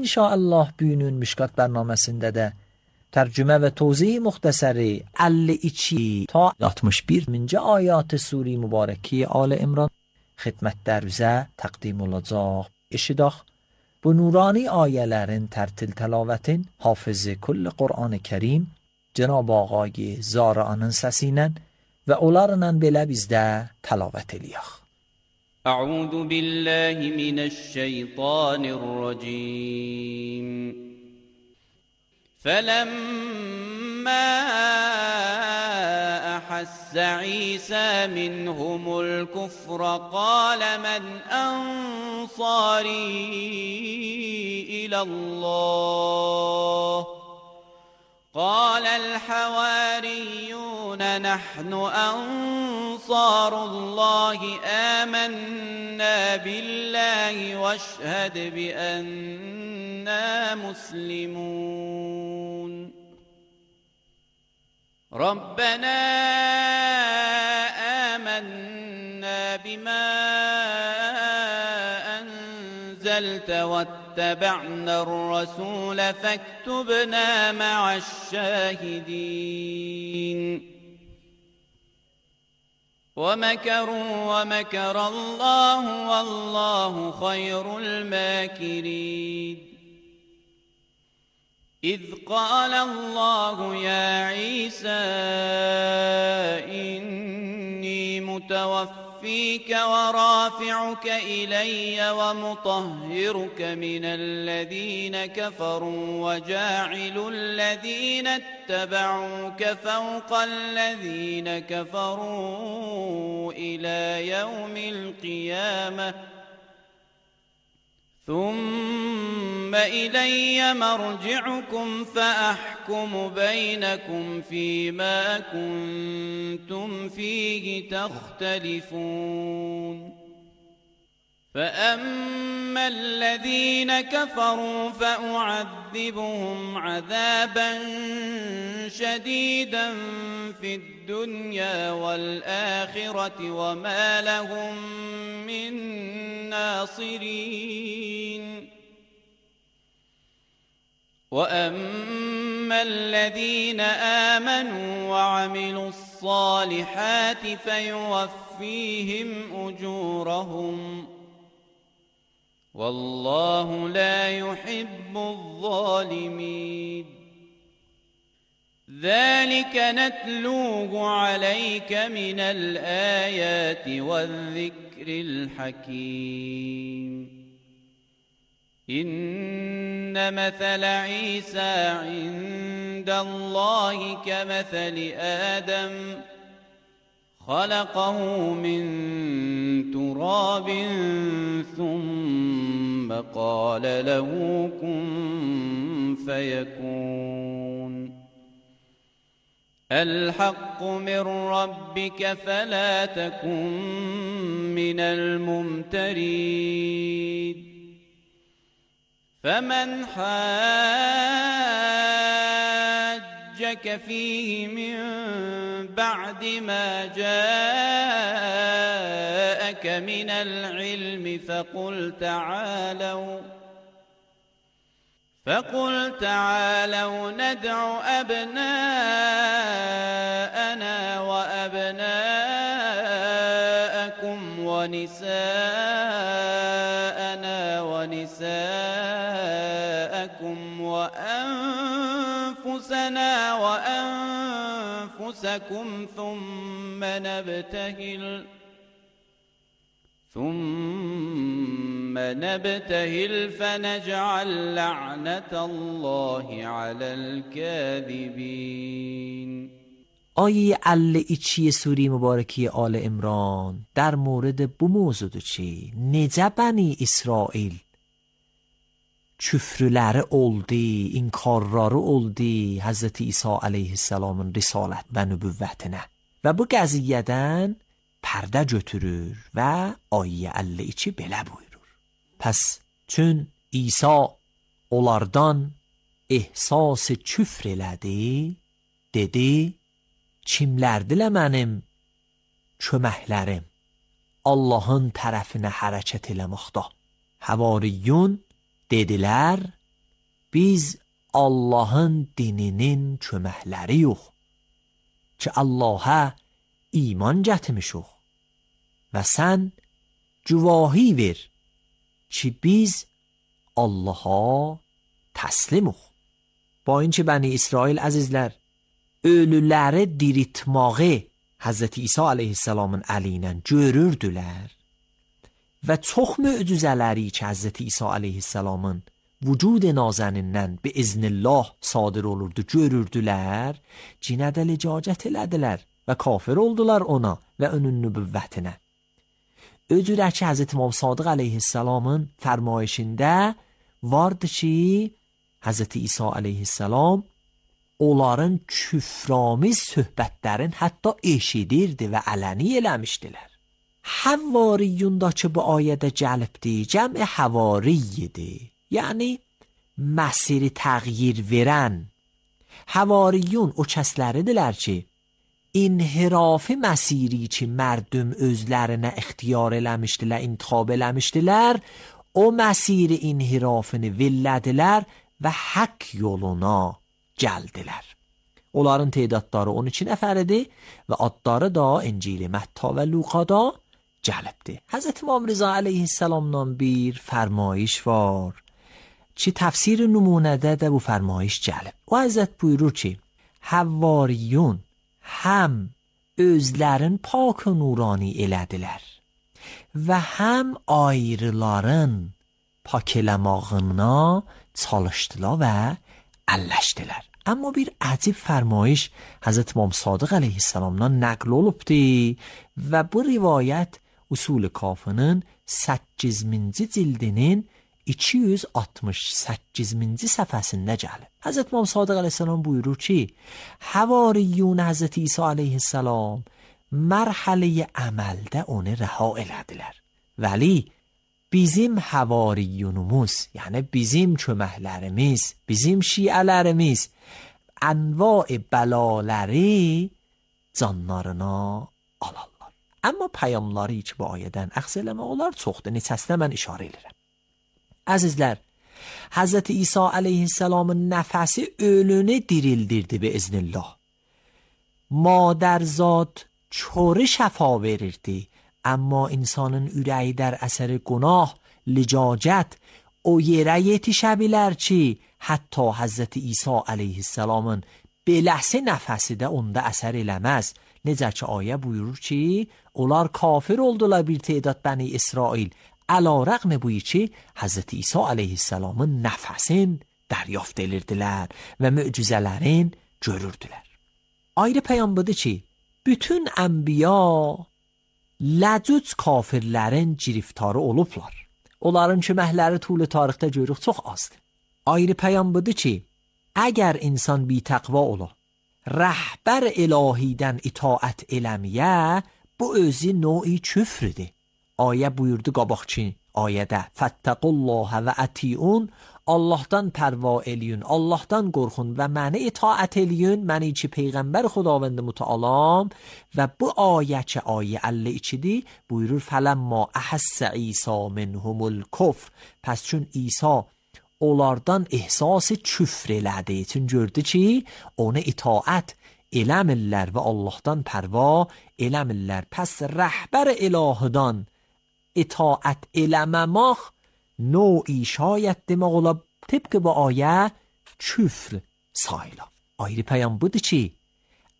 Speaker 10: İnşallah bugünün Mişkat bərnaməsində də tərcümə və tozih müxtəsəri əlli iki ta altmış birinci ayat Sure Mübarəki Al İmran xidmətlərinizə təqdim olacaq. Eşidək, bu nurani ayələrin tərtil təlavətin hafızı kull Qur'an-ı Kerim Cenab-ı Ağay Zara'nın səsi ilə və onlarla belə bizdə təlavət eləyək.
Speaker 11: أعوذ بالله من الشيطان الرجيم فلما أحس عيسى منهم الكفر قال من أنصاري إلى الله قال الحواريون نحن أنصار الله آمنا بالله واشهد بأننا مسلمون ربنا آمنا بما أنزلت واتبعنا الرسول فاكتبنا مع الشاهدين ومكروا ومكر الله والله خير الماكرين إذ قال الله يا عيسى إني متوفيك ورافعك إلي ومطهرك من الذين كفروا وجاعل الذين اتبعوك فوق الذين كفروا إلى يوم القيامة ثم إلي مرجعكم فأحكم بينكم فيما كنتم فيه تختلفون فأما الذين كفروا فأعذبهم عذابا شديدا في الدنيا والآخرة وما لهم من ناصرين وأما الذين آمنوا وعملوا الصالحات فيوفيهم أجورهم والله لا يحب الظالمين ذلك نتلوه عليك من الآيات والذكر الحكيم إن مثل عيسى عند الله كمثل آدم خلقه من تراب ثم قال له كن فيكون الحق من ربك فلا تكن من الممترين فمن حاجك فيه من بعد ما جاءك من العلم فقل تعالوا فقل تعالوا ندع أبناءنا وأبناءكم ونساءنا ونساءكم وأنفسنا وأنفسكم ثم نبتهل ثم نبتهل فنجعل لعنة الله على الكاذبين.
Speaker 10: آیه ال ایچی سوری مبارکی آل عمران در مورد bu mövzudur ki, necə bəni İsrail küfrüləri oldu, inkarları oldu Hazreti İsa aleyhisselamın risalət və nübüvvətinə və bu qəziyyədən pərdə götürür və ayyə əlli iki belə buyurur. Pəs çün İsa onlardan ehsas küfr elədi, dedi, kimlərdilə mənim köməklərim Allahın tərəfinə hərəkət eləməkdə? Havariyyun dedilər, biz Allahın dininin köməkləri yox ki Allaha iman gətirmişik və sən güvahi ver ki biz Allaha təslimuq. با اینکه بنی اسرائیل عزیزlər ölüləri diritmağı Hazreti İsa aleyhisselamın əlindən görürdülər və çox möcüzələri ki Hazreti İsa aleyhisselamın vücud nazənindən bi iznillah sadir olurdu görürdülər, cinə də licacət elədilər və kafir oldular ona və onun nübüvvətinə. Öcürə ki Hazreti İmam Sadiq aleyhisselamın fərmayişində vardı ki Hazreti İsa aleyhisselam onların küframiz söhbətlərin hətta eşidirdi və ələni eləmişdilər. Həvariyundakı bu ayədə gəlibdi, cəmi həvariyyidir. Yəni, məsiri təğyir verən. Həvariyun o kəsləridirlər ki, inhirafi məsiri ki, mərdüm özlərinə ixtiyar eləmişdilər, intixab eləmişdilər, o məsiri inhirafını villədilər və haqq yoluna gəldilər. Onların teydatları on iki nəfəridir və adları da İncil Mətta və Luqada gəlibdir. Həzrət İmam Rıza əleyhissalamdan bir fərmayış var ki, təfsir nümunədə də bu fərmayış gəlib. O Həzrət buyurur ki, Həvariyun həm özlərin pak nurani elədilər və həm ayrıların pak eləmağına çalışdılar və əlləşdilər. Amma bir əcib fərmayış Həzrət İmam Sadiq əleyhissalamdan nəql olubdur və bu rivayət Usul-i Kafinin səkkiz minci cildinin iki yüz altmış səkkizinci səhifəsində gəlib. Həzrət İmam Sadiq əleyhissalam buyurur ki, Həvariyun Həzrət İsa əleyhissalam mərhələ-i əməldə onu rəha elədilər. Vəli bizim həvariyunumuz, yəni bizim köməklərimiz, bizim şiələrimiz ənva-i bəlaləri canlarına alarlar. Amma pəyamları ki, bu ayədən əxz eləmək olar çoxdur, neçəsinə mən işarə edirəm. Əzizlər, Həzrət İsa əleyhissalamın nəfəsi ölünü dirildirdi bi iznillah. Madərzad çoru şəfa verirdi. Amma insanın ürəyi در اثر گناه لجاجت o yerə yetişə bilər ki, hətta Həzrət İsa əleyhissalamın beləsi nəfəsi də onda əsər eləməz. Necə ki, ayə buyurur ki, onlar kafir oldular bir تعداد Bəni İsrail. Əla rəğm bu ki, Həzrət İsa əleyhissalamın nəfəsin dəryafت edirdilər və möcüzələrin görürdülər. Ayrı peyam budur ki, bütün ənbiya ləcüc kafirlərin giriftarı olublar. Onların köməkləri tulu tarixdə görürük çox azdır. Ayrı peyam budur ki, əgər insan bitəqva ola, rəhbər ilahidən itaət eləməyə, bu özü növ-i küfrüdür. Ayə buyurdu qabaqçı ayədə, Fəttəqullaha və ətiun, Allahdan pərva eləyin, Allahdan qorxun və məni itaət eləyin, məni ki Peyğəmbər Xudavənd mütəalam. Və bu ayə ki ayə əlli ikidir, buyurur fələmma əhəssə İsa minhumul kufr. Pəs çün İsa onlardan ehsası küfr elədi, çün gördü ki onu itaət eləmirlər və Allahdan pərva eləmirlər. Pəs rəhbər ilahıdan itaət eləməmək نوعی شاید demək ola tıpkı bu ayə küfr sayıla. Ayrı peyam budur ki,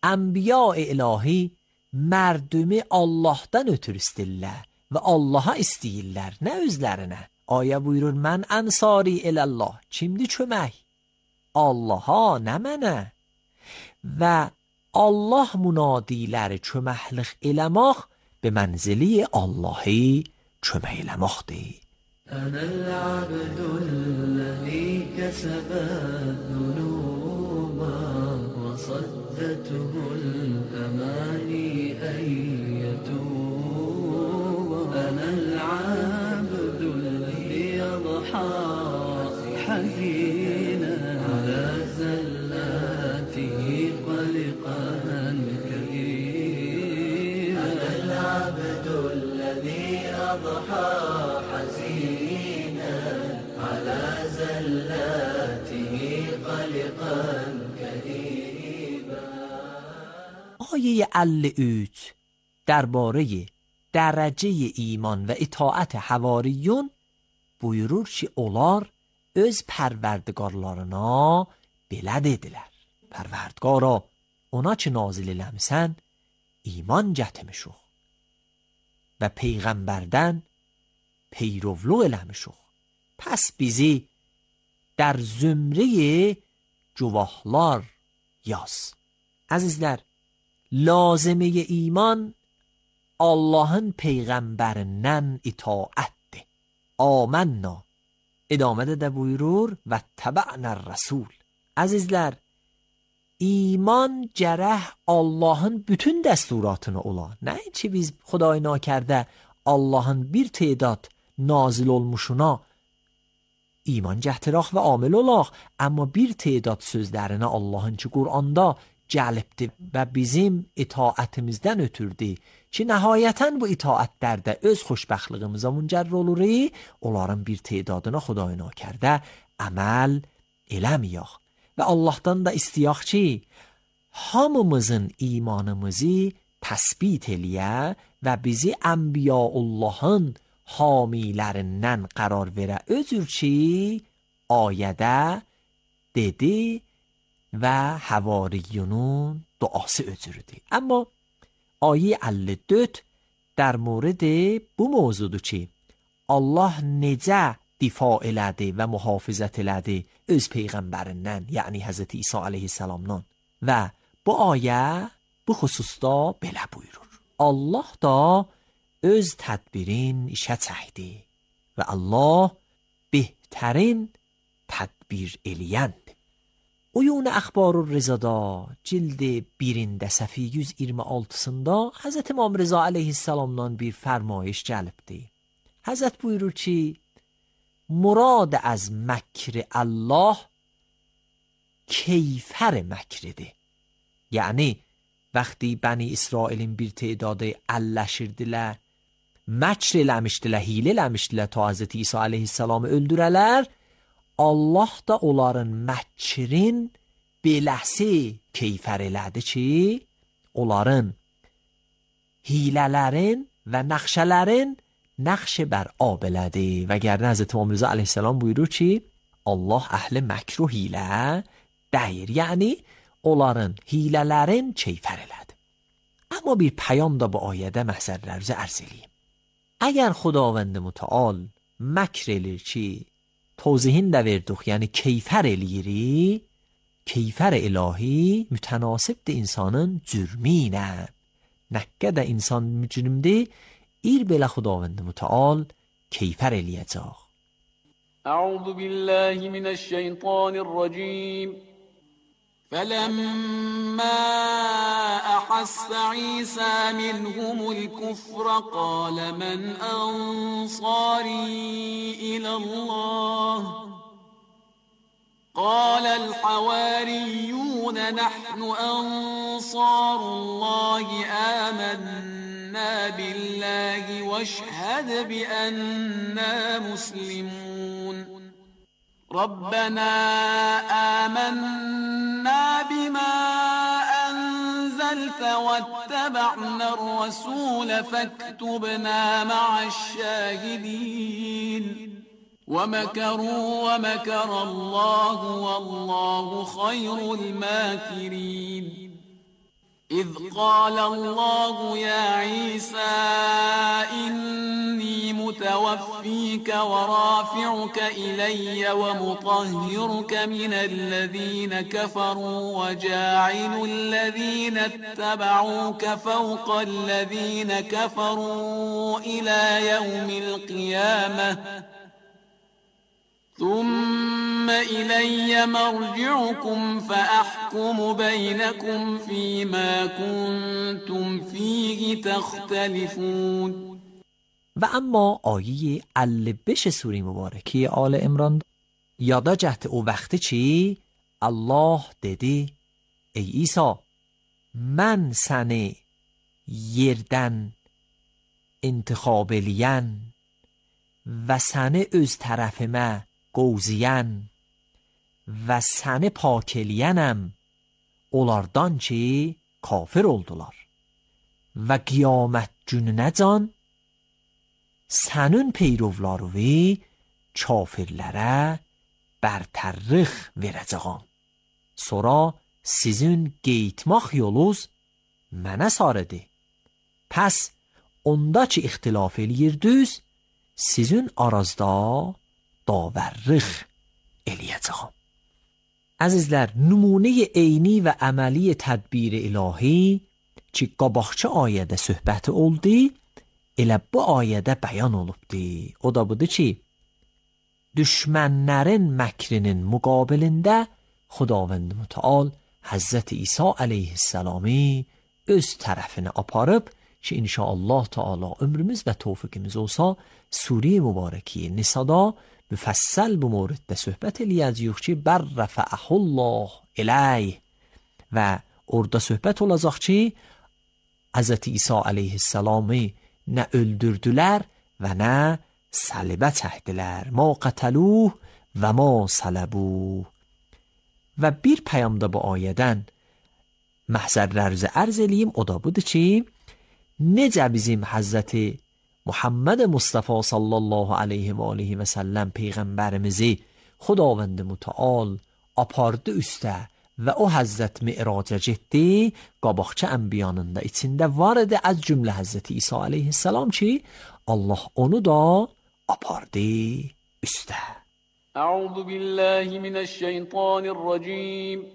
Speaker 10: ənbiya-i ilahi mərdumi Allahdan ötür istirlər və Allaha istəyirlər, nə özlərinə. Ayə buyurur, mən ənsari ilallah, kimdir kömək? Allaha, nə mənə? Və Allah münadiləri köməklik eləmək به منزلی اللهی kömək eləməkdir.
Speaker 3: أنا العبد الذي كسب الذنوب وصدته الأماني أن يتوب. أنا العبد الذي يضحى حزينا على زلاته قلقا كئيبا. أنا العبد الذي يضحى
Speaker 10: آیه ال اوت درباره درجه ایمان و اطاعت حواریون buyurur ki, onlar öz pərverdigarlarına belə dedilər. Pərverdigara, ona ki nazil eləmisən, iman gətirmişuq və Peyğəmbərdən peyrovluq eləmişuq. Pəs bizi در zümreye cuvahlar yaz. Əzizlər, lazımı iman Allahın peyğəmbərindən itaətdir. Amənna. İdamədə də buyurur və təbə'nər rəsul. Əzizlər, iman gərək Allahın bütün dəsturatını ola. Nəinki biz Xuday nakərdə Allahın bir tedad nazil olmuşuna iman gətirək və amil olaq, amma bir tedad sözlərinə Allahın ki Qur'anda gəlibdi və bizim itaətimizdən ötürdü ki, nəhayətən bu itaətlərdə öz xoşbəxtliyimizə müncər oluruq, onların bir tedadına Xuday nakərdə əməl eləməyək. Və Allahdan da istəyək ki, hamımızın imanımızı təsbit eləyə və bizi Ənbiyaullahın hamilərindən qərar verə. Özür ki, ayədə dedi və həvariyunun duası özürdür. Amma ayə əlli dörd در مورد bu mövzudur ki, Allah necə difa elədi və mühafizət elədi öz peyğəmbərindən, yəni Həzrəti İsa əleyhissalamdan. Və bu ayə bu xüsusda belə buyurur. Allah da öz tədbirin işə çəkdi və Allah bəhtərin tədbir eləyəndir. Uyun Əxbarur Rizada cild birində səfi yüz iyirmi altısında Həzrət İmam Rıza əleyhissalamdan bir fərmayış gəlibdi. Həzrət buyurur ki, murad az məkr Allah keyfər məkridir. Yəni, vəqti Bəni İsrailin bir tedadı əlləşirdilər, məkr eləmişdilər, hilə eləmişdilər ta Həzrət İsa əleyhissalamı öldürələr, Allah da onların məkrin beləsi keyfər elədi ki, onların hilələrin və nəxşələrin nəxş bər ab elədi. Və gərdən Həzrət İmam Rıza əleyhissalam buyurur ki, Allah əhli məkr و hilə deyir. Yəni, onların hilələrin keyfər elədi. Amma bir pəyam da bu ayədə məhzərlərimizi ərz eləyim. Əgər Xudavənd mütəal məkr eləyir ki, توضیحین də verdik, yəni keyfər eləyiri, keyfər ilahi mütənasibdir insanın cürmi ilə. Nə qədər insan mücrimdir, ir belə Xudavənd mütəal keyfər eləyəcək.
Speaker 12: أعوذ بالله من الشيطان الرجيم فلما أحس عيسى منهم الكفر قال من أنصاري إلى الله قال الحواريون نحن أنصار الله آمنا بالله واشهد بأننا مسلمون ربنا آمنا بما أنزلت واتبعنا الرسول فاكتبنا مع الشاهدين ومكروا ومكر الله والله خير الماكرين إذ قال الله يا عيسى إني متوفيك ورافعك إلي ومطهرك من الذين كفروا وجاعل الذين اتبعوك فوق الذين كفروا إلى يوم القيامة ثم إلي مرجعكم فأحكم بينكم فيما كنتم فيه تختلفون.
Speaker 10: و اما آیه البش سوره مبارکی آل عمران یادا جهت او وقتی چی الله dedi ey İsa mən səni yerdən intikhab eləyən və səni öz tərəfimə qovziyən və səni pak eləyənəm onlardan ki kafir oldular və qiyamət gününəcən sənin peyrovlarıvi kafirlərə bərtərrix verəcəyəm. Sonra sizin qeytmaq yolunuz mənə sarıdır. Pəs onda ki ixtilaf eləyirdiniz, sizin arazda davərrix eləyəcəyəm. Əzizlər, nümunə eyni və əməli tədbir ilahi ki qabaqçı ayədə söhbəti oldu, elə bu ayədə bəyan olubdu. O da budur ki, düşmənlərin məkrinin müqabilində Xudavənd mütəal Həzrəti İsa əleyhissalami öz tərəfinə aparıb ki, inşallah Teala ömrümüz və tövfiqimiz olsa, Sure mübarəki Nisada müfəssəl bu moriddə söhbət eləyəcəyik ki, bərrəfəəhullah iləy və orada söhbət olacaq ki, Həzrəti İsa əleyhissalami nə öldürdülər və nə səlibə çəkdilər. Ma qətəluh və ma sələbuh. Və bir pəyamda bu ayədən məhzərlərinizi ərz eləyim, o da budur ki, necə bizim Həzrəti Muhammed Mustafa sallallahu aleyhi və aleyhi və səlləm Peyğəmbərimizi Xudavənd mütəal apardı üstə və o Həzrət Mi'raca getdi, qabaqçı ənbiyanın da içində var idi az cümlə Həzrəti İsa aleyhissalam ki, Allah onu da apardı üstə.
Speaker 12: أعوذ بالله من الشيطان الرجيم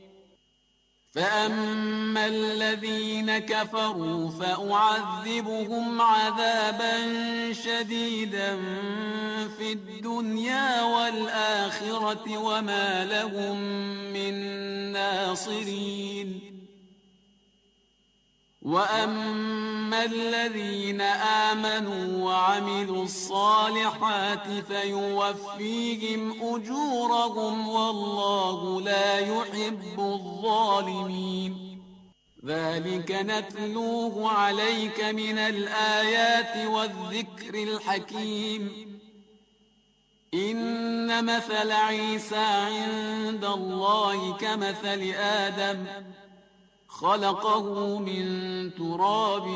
Speaker 12: فأما الذين كفروا فأعذبهم عذابا شديدا في الدنيا والآخرة وما لهم من ناصرين وأما الذين آمنوا وعملوا الصالحات فيوفيهم أجورهم والله لا يحب الظالمين ذلك نتلوه عليك من الآيات والذكر الحكيم إن مثل عيسى عند الله كمثل آدم خلقه من تراب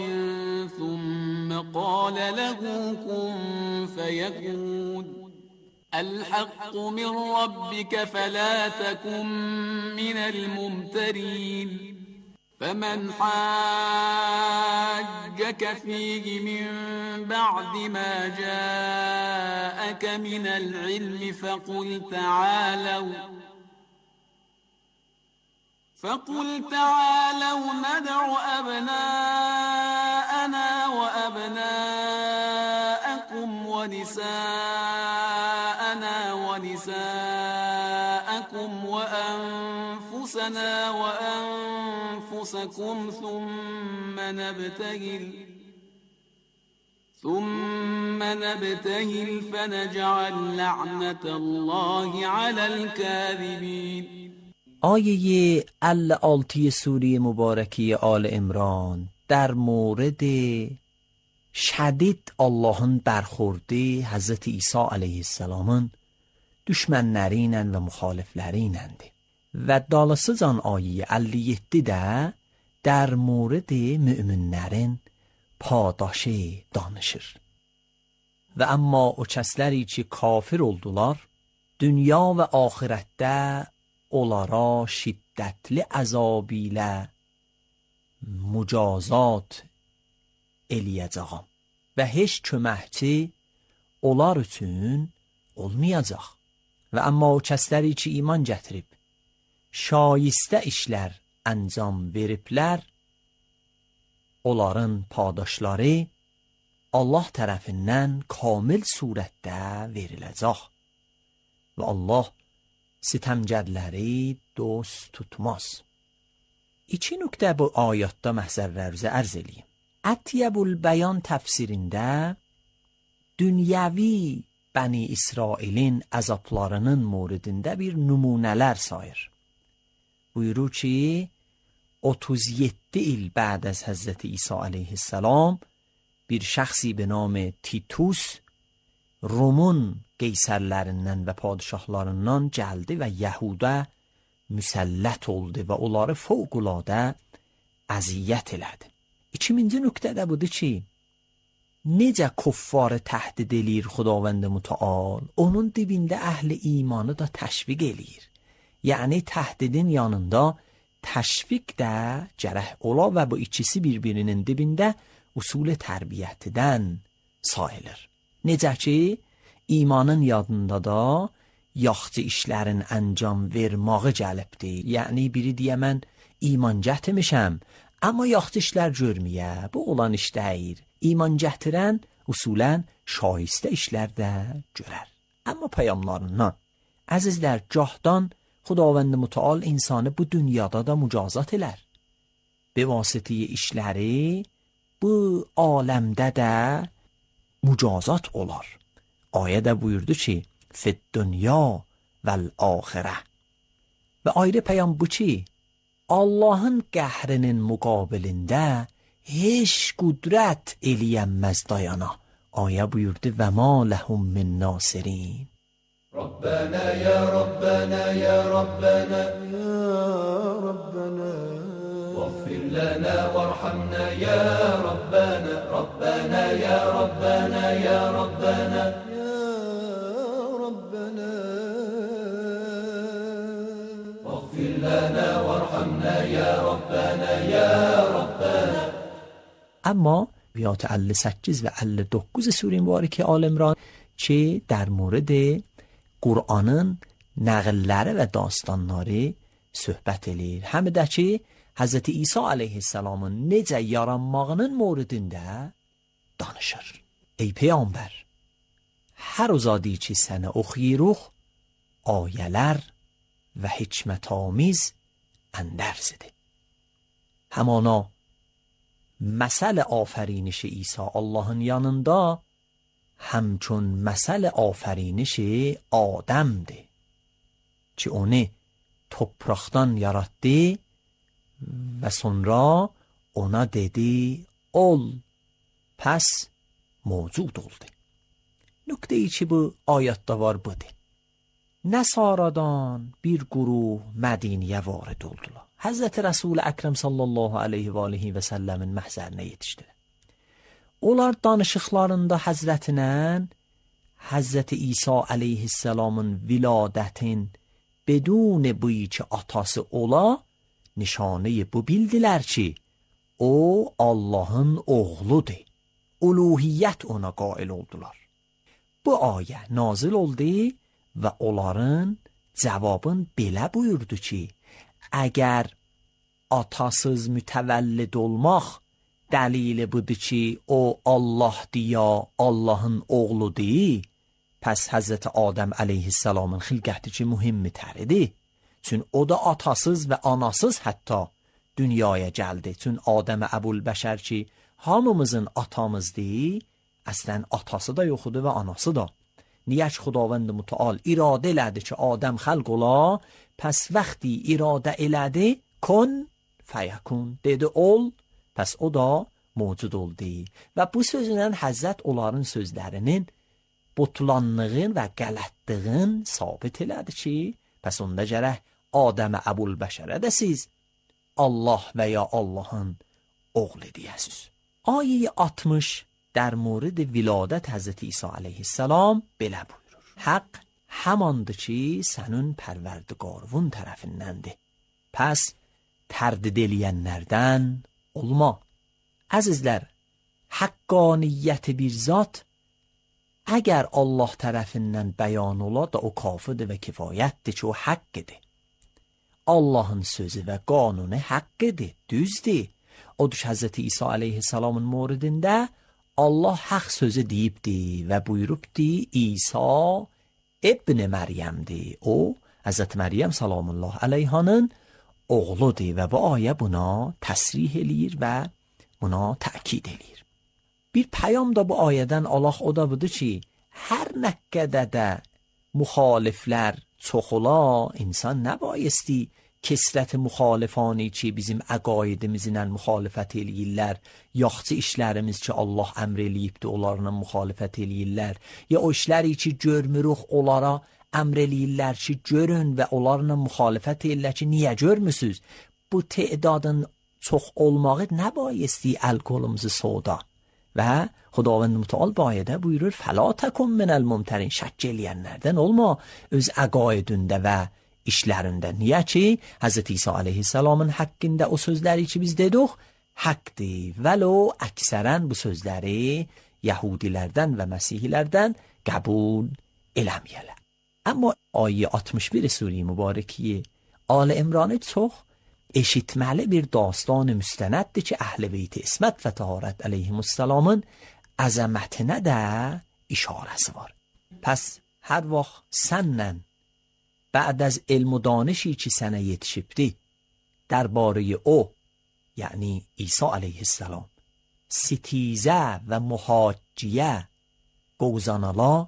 Speaker 12: ثم قال له كن فيكون الحق من ربك فلا تكن من الممترين فمن حاجك فيه من بعد ما جاءك من العلم فقل تعالوا فقل تعالوا ندع أبناءنا وأبناءكم ونساءنا ونساءكم وأنفسنا وأنفسكم ثم نبتهل ثم نبتهل فنجعل لعنة الله على الكاذبين.
Speaker 10: آیه الالتی سوره مبارکی آل عمران در مورد شدید Allahın برخورده Həzrəti İsa aleyhisselamın düşmənləriylə və müxalifləriylədir. Və dalasıcan ayəyə əlli yeddidə در مورد müminlərin padaşı danışır. Və amma o kəsləri ki kafir oldular, dünya və axirətdə onlara şiddətli əzab ilə mücazat eləyəcəyəm və heç köməkçi onlar üçün olmayacaq. Və amma o kəsləri ki iman gətirib şayistə işlər əncam veriblər, onların padaşları Allah tərəfindən kamil surətdə veriləcək və Allah sitəmgərləri dost tutmaz. İki nöqtə bu ayətdə məhzərlərinizə ərz eləyim. Ətyəbul Bəyan təfsirində dünyəvi Bəni İsrailin əzablarının moridində bir nümunələr sayır. Buyurur ki, otuz yeddi il بعد از Həzrəti İsa aleyhisselam bir şəxsi به نام تیتوس Rumun qeysərlərindən və padişahlarından gəldi və Yahuda müsəllət oldu və onları fövqüladə əziyyət elədi. İkinci nöqtə də budur ki, necə kuffarı təhdid eləyir Xudavənd mütəal, onun dibində əhli imanı da təşviq eləyir. Yəni təhdidin yanında təşviq də gərək ola və bu ikisi bir-birinin dibində usul tərbiyyətidən sayılır. Necə ki, imanın yadında da yaxçı işlərin əncam vermağı gəlibdir. Yəni biri deyə mən iman gətirmişəm, amma yaxçı işlər görməyə, bu olan iş deyil. İman gətirən usulən şayistə işlər də görər. Amma peyamlarından əzizlər, gahdan Xudavənd Mütəal insanı bu dünyada da mücazat elər. Be vasitəyə işləri bu aləmdə də mücazat olar. Ayədə buyurdu ki, fid dünya vəl axirə. Və ayrı peyam bu ki, Allahın qəhrinin müqabilində heç qudrət eləyənməz dayana. Ayə buyurdu və ma ləhum min nasirin.
Speaker 8: Rabbana ya Rabbana ya Rabbana ya Rabbana واغفر لنا وارحمنا يا ربنا ربنا يا ربنا يا ربنا يا ربنا واغفر لنا وارحمنا يا ربنا يا ربنا.
Speaker 10: اما بیات ال سکیز و ال dokuz سوره مبارکه آل عمران که در مورد Qur'anın nəğilləri və dastanları söhbət eləyir. Həm də ki, Hz. İsa aleyhisselamın necə yaranmağının mövridində danışır. Ey Peyğəmbər, hər uzadı ki sənə oxuyuruq, ayələr və hikmətamiz əndərzidir. Həmana məsəl afəriniş İsa Allahın yanında همچون مثل آفرینش آدمdir ki onu topraktan yarattı ve sonra ona dedi ol, pes mevcud oldu. Nükte-i ki bu ayette var budur. Nesaradan bir gruh Medine'ye varid oldular. Hazreti Resul Ekrem sallallahu aleyhi ve aleyhi ve sellemin məhzərinə yetişdiler. Onlar danışıqlarında Həzrətinə Həzrəti İsa aleyhisselamın viladətin bedun buyi ki atası ola nişanəyi bu bildilər ki o Allahın oğludur. Uluhiyyət ona qail oldular. Bu ayə nazil oldu və onların cavabın belə buyurdu ki əgər atasız mütəvəllid olmaq dəlili budur ki o Allahdır ya Allahın oğludur, pəs Həzrəti Adəm aleyhisselamın xilqəti ki mühimmi təridir. Çün o da atasız və anasız hətta dünyaya gəldi. Çün Adəm Əbulbəşər ki hamımızın atamızdır, əslən atası da yoxudur və anası da. Niyə ki Xudavənd Mütəal iradə elədi ki Adəm xəlq ola, pəs vəxti iradə elədi kun fəyəkun dedi ol, pəs o da mövcud oldu. Və bu sözlə Həzrət onların sözlərinin butlanlığın və qələtlığın sabit elədi ki, pəs onda gərək Adəm Əbulbəşərə də siz Allah və ya Allahın oğlu deyəsiz. Ayə altmış در مورد ولادت حضرت عیسی علیه السلام belə buyurur. Haqq hamandır ki sənin pərverdigarın tərəfindəndir. Pəs tərdid eləyənlərdən olma. Əzizlər, haqqaniyyəti bir zat əgər Allah tərəfindən bəyan ola da o kafidir və kifayətdir ki o haqqidir. Allahın sözü və qanunu haqqidir, düzdür. Odur ki Həzrəti İsa aleyhisselamın mövridində Allah haq sözü deyibdi və buyurubdi İsa ibn Məryəmdir. O, Həzrət Məryəm salamullah aleyhanın oğludur və bu ayə buna təsrih eləyir və buna təkid eləyir. Bir pəyam da bu ayədən Allah o da budur ki, hər nə qədər də müxaliflər çox ola, insan nəbayəsti kesrət müxalifani ki bizim əqaidimizlə müxalifət eləyirlər, yaxçı işlərimiz ki Allah əmr eləyibdir, onlarla müxalifət eləyirlər, ya o işləri ki görmürük, onlara əmr eləyirlər ki görün və onlarla müxalifət eləyirlər ki niyə görmüsünüz? Bu təadın çox olmağı nəbayəsti əl-qolumuzu soda və Xudavənd Mütəal bu ayədə buyurur fəla təkun minəl mumtərin, şəkk eləyənlərdən olma öz əqaidində və işlərində. Niyə ki Həzrət İsa aleyhisselamın haqqında o sözləri ki biz dedik haqqdır. Vəlo əksərən bu sözləri Yahudilərdən və Məsihlərdən qəbul eləməyələr. Amma ayə altmış bir Sure Mübarəki Al İmran çox eşitməli bir dastan müstənəddir ki Əhl-i Beyt İsmət və Təharət əleyhimussalamın əzəmətinə də işarəsi var. Pəs hər vaxt səndən بعد از علم و دانشی چی سنه یتشیبدی درباره او یعنی عیسی علیه السلام ستیزه و muhacciye qovzanalar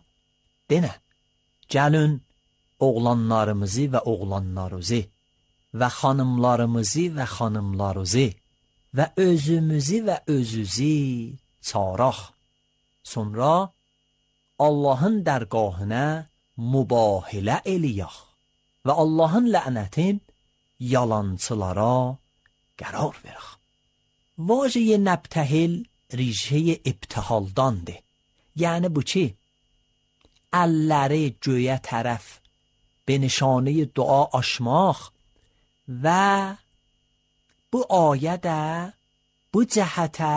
Speaker 10: denə. Gəlin oğlanlarımızı və oğlanlarınızı və xanımlarımızı və xanımlarınızı və özümüzü və özünüzü çağıraq. Sonra Allahın dərgahına mübahilə eləyək və Allahın lənətin yalançılara qərar verək. واژه نبتهل ریشه ابتهالdandır. یعنی bu چی؟ elleri göğe tərəf به نشانه دعا açmaq و bu ayə də bu cəhətə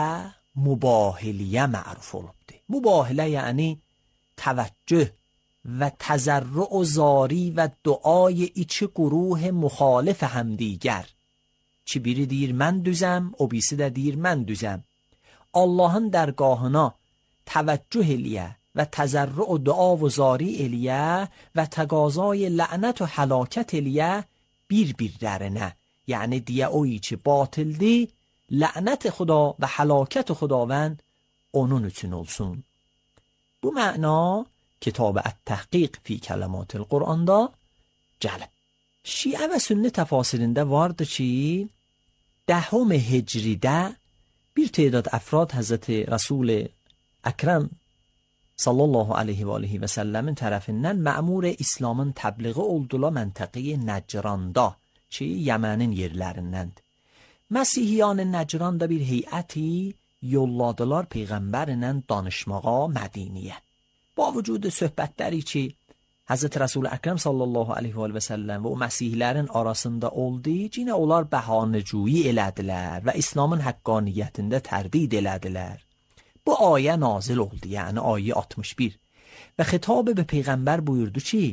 Speaker 10: mübahiliyə məruf olubdur. Mübahilə yəni təvəccüh و تضرع و زاری و دعای iki گروه مخالف همدیگر. Ki biri deyir mən düzəm, o birisi də deyir mən düzəm. Allahın dərgahına təvəccüh eləyə və təzərrü o dua və zari eləyə və təqazay lənət və həlakət eləyə bir-birlərinə. Yəni deyə o ki batildir, lənət xuda və həlakət xudavənd onun üçün olsun. Bu məna kitab Ət-Təhqiq fi Kələmat el-Qur'anda gəlib. Şiə və sünni təfasirində vardı ki دهم هجریده bir تعداد افراد Hazreti Resul Ekrem sallallahu aleyhi və aleyhi və səlləmin tərəfindən məmur İslamın təbliği oldular məntəqi Nəcranda ki Yemenin yerlərindəndir. Məsihiyyan Nəcranda bir heyəti yolladılar peyğəmbərlə danışmağa Mədiniyə. Ba vücud söhbətləri ki Hazreti Resul Ekrem sallallahu aleyhi və səlləm və o məsihlərin arasında oldu, yine onlar bəhanəcüyü elədilər və İslamın haqqaniyyətində tərdid elədilər. Bu ayə nazil oldu, yəni ayə altmış bir. Və xitabı به peyğəmbər buyurdu ki,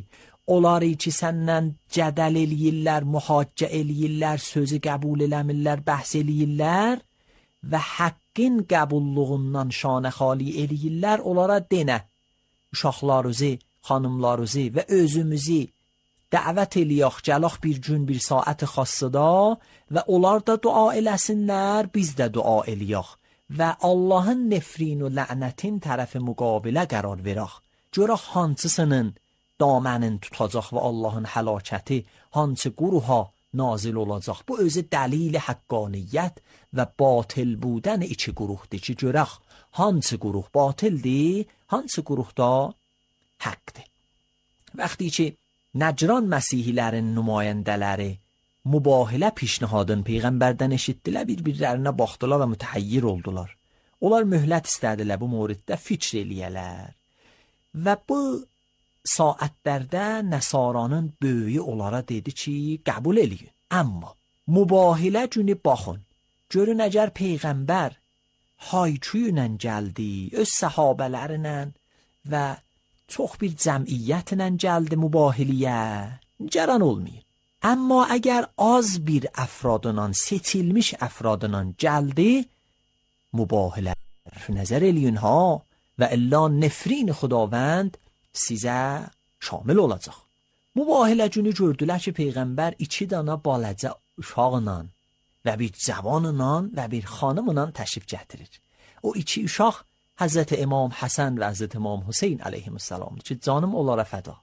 Speaker 10: onları ki səndən cədəl eləyirlər, muhaccə eləyirlər, sözü qəbul eləmirlər, bəhs eləyirlər və haqqın qəbulluğundan şanə xali eləyirlər, onlara denə, uşaqlarınızı, xanımlarınızı və özümüzü dəvət eləyək, gələk bir gün, bir saat xassıda və onlar da dua eləsinlər, biz də dua eləyək və Allahın nefrin və lənətin tərəfi müqabilə qərar verək. Görək hansısının damənin tutacaq və Allahın həlakəti hansı quruha nazil olacaq. Bu özü dəlil haqqaniyyət və batil buden iki quruhdur ki, görək hansı quruh batildir, hansı quruhda haqqdır. Vəxti ki Nəcran məsihlərin nümayəndələri mübahilə pişnihadın peyğəmbərdən eşitdilər, bir-birlərinə baxdılar və mütəhayyir oldular. Onlar möhlət istədilər bu moriddə fikr eləyələr. Və bu saatlərdə Nəsaranın böyüyü onlara dedi ki, qəbul eləyin. Amma mübahilə günü baxın, görün əgər peyğəmbər hayçuyu ilə gəldi, öz səhabələrlə və çox bir cəmiyyətlə gəldi mübahiliyə, cəran olmayın. Amma əgər az bir əfradından, seçilmiş əfradından gəldi, mübahilə nəzər eləyin ha və illa nefrin xudavənd sizə şamil olacaq. Mübahilə günü gördülər ki, peyğəmbər iki dana balacə uşaqla və bir cavanla və bir xanımla təşrif gətirir. O iki uşaq Hazreti İmam Həsən və Hazreti İmam Hüseyin aleyhisselam ki, canım onlara fəda.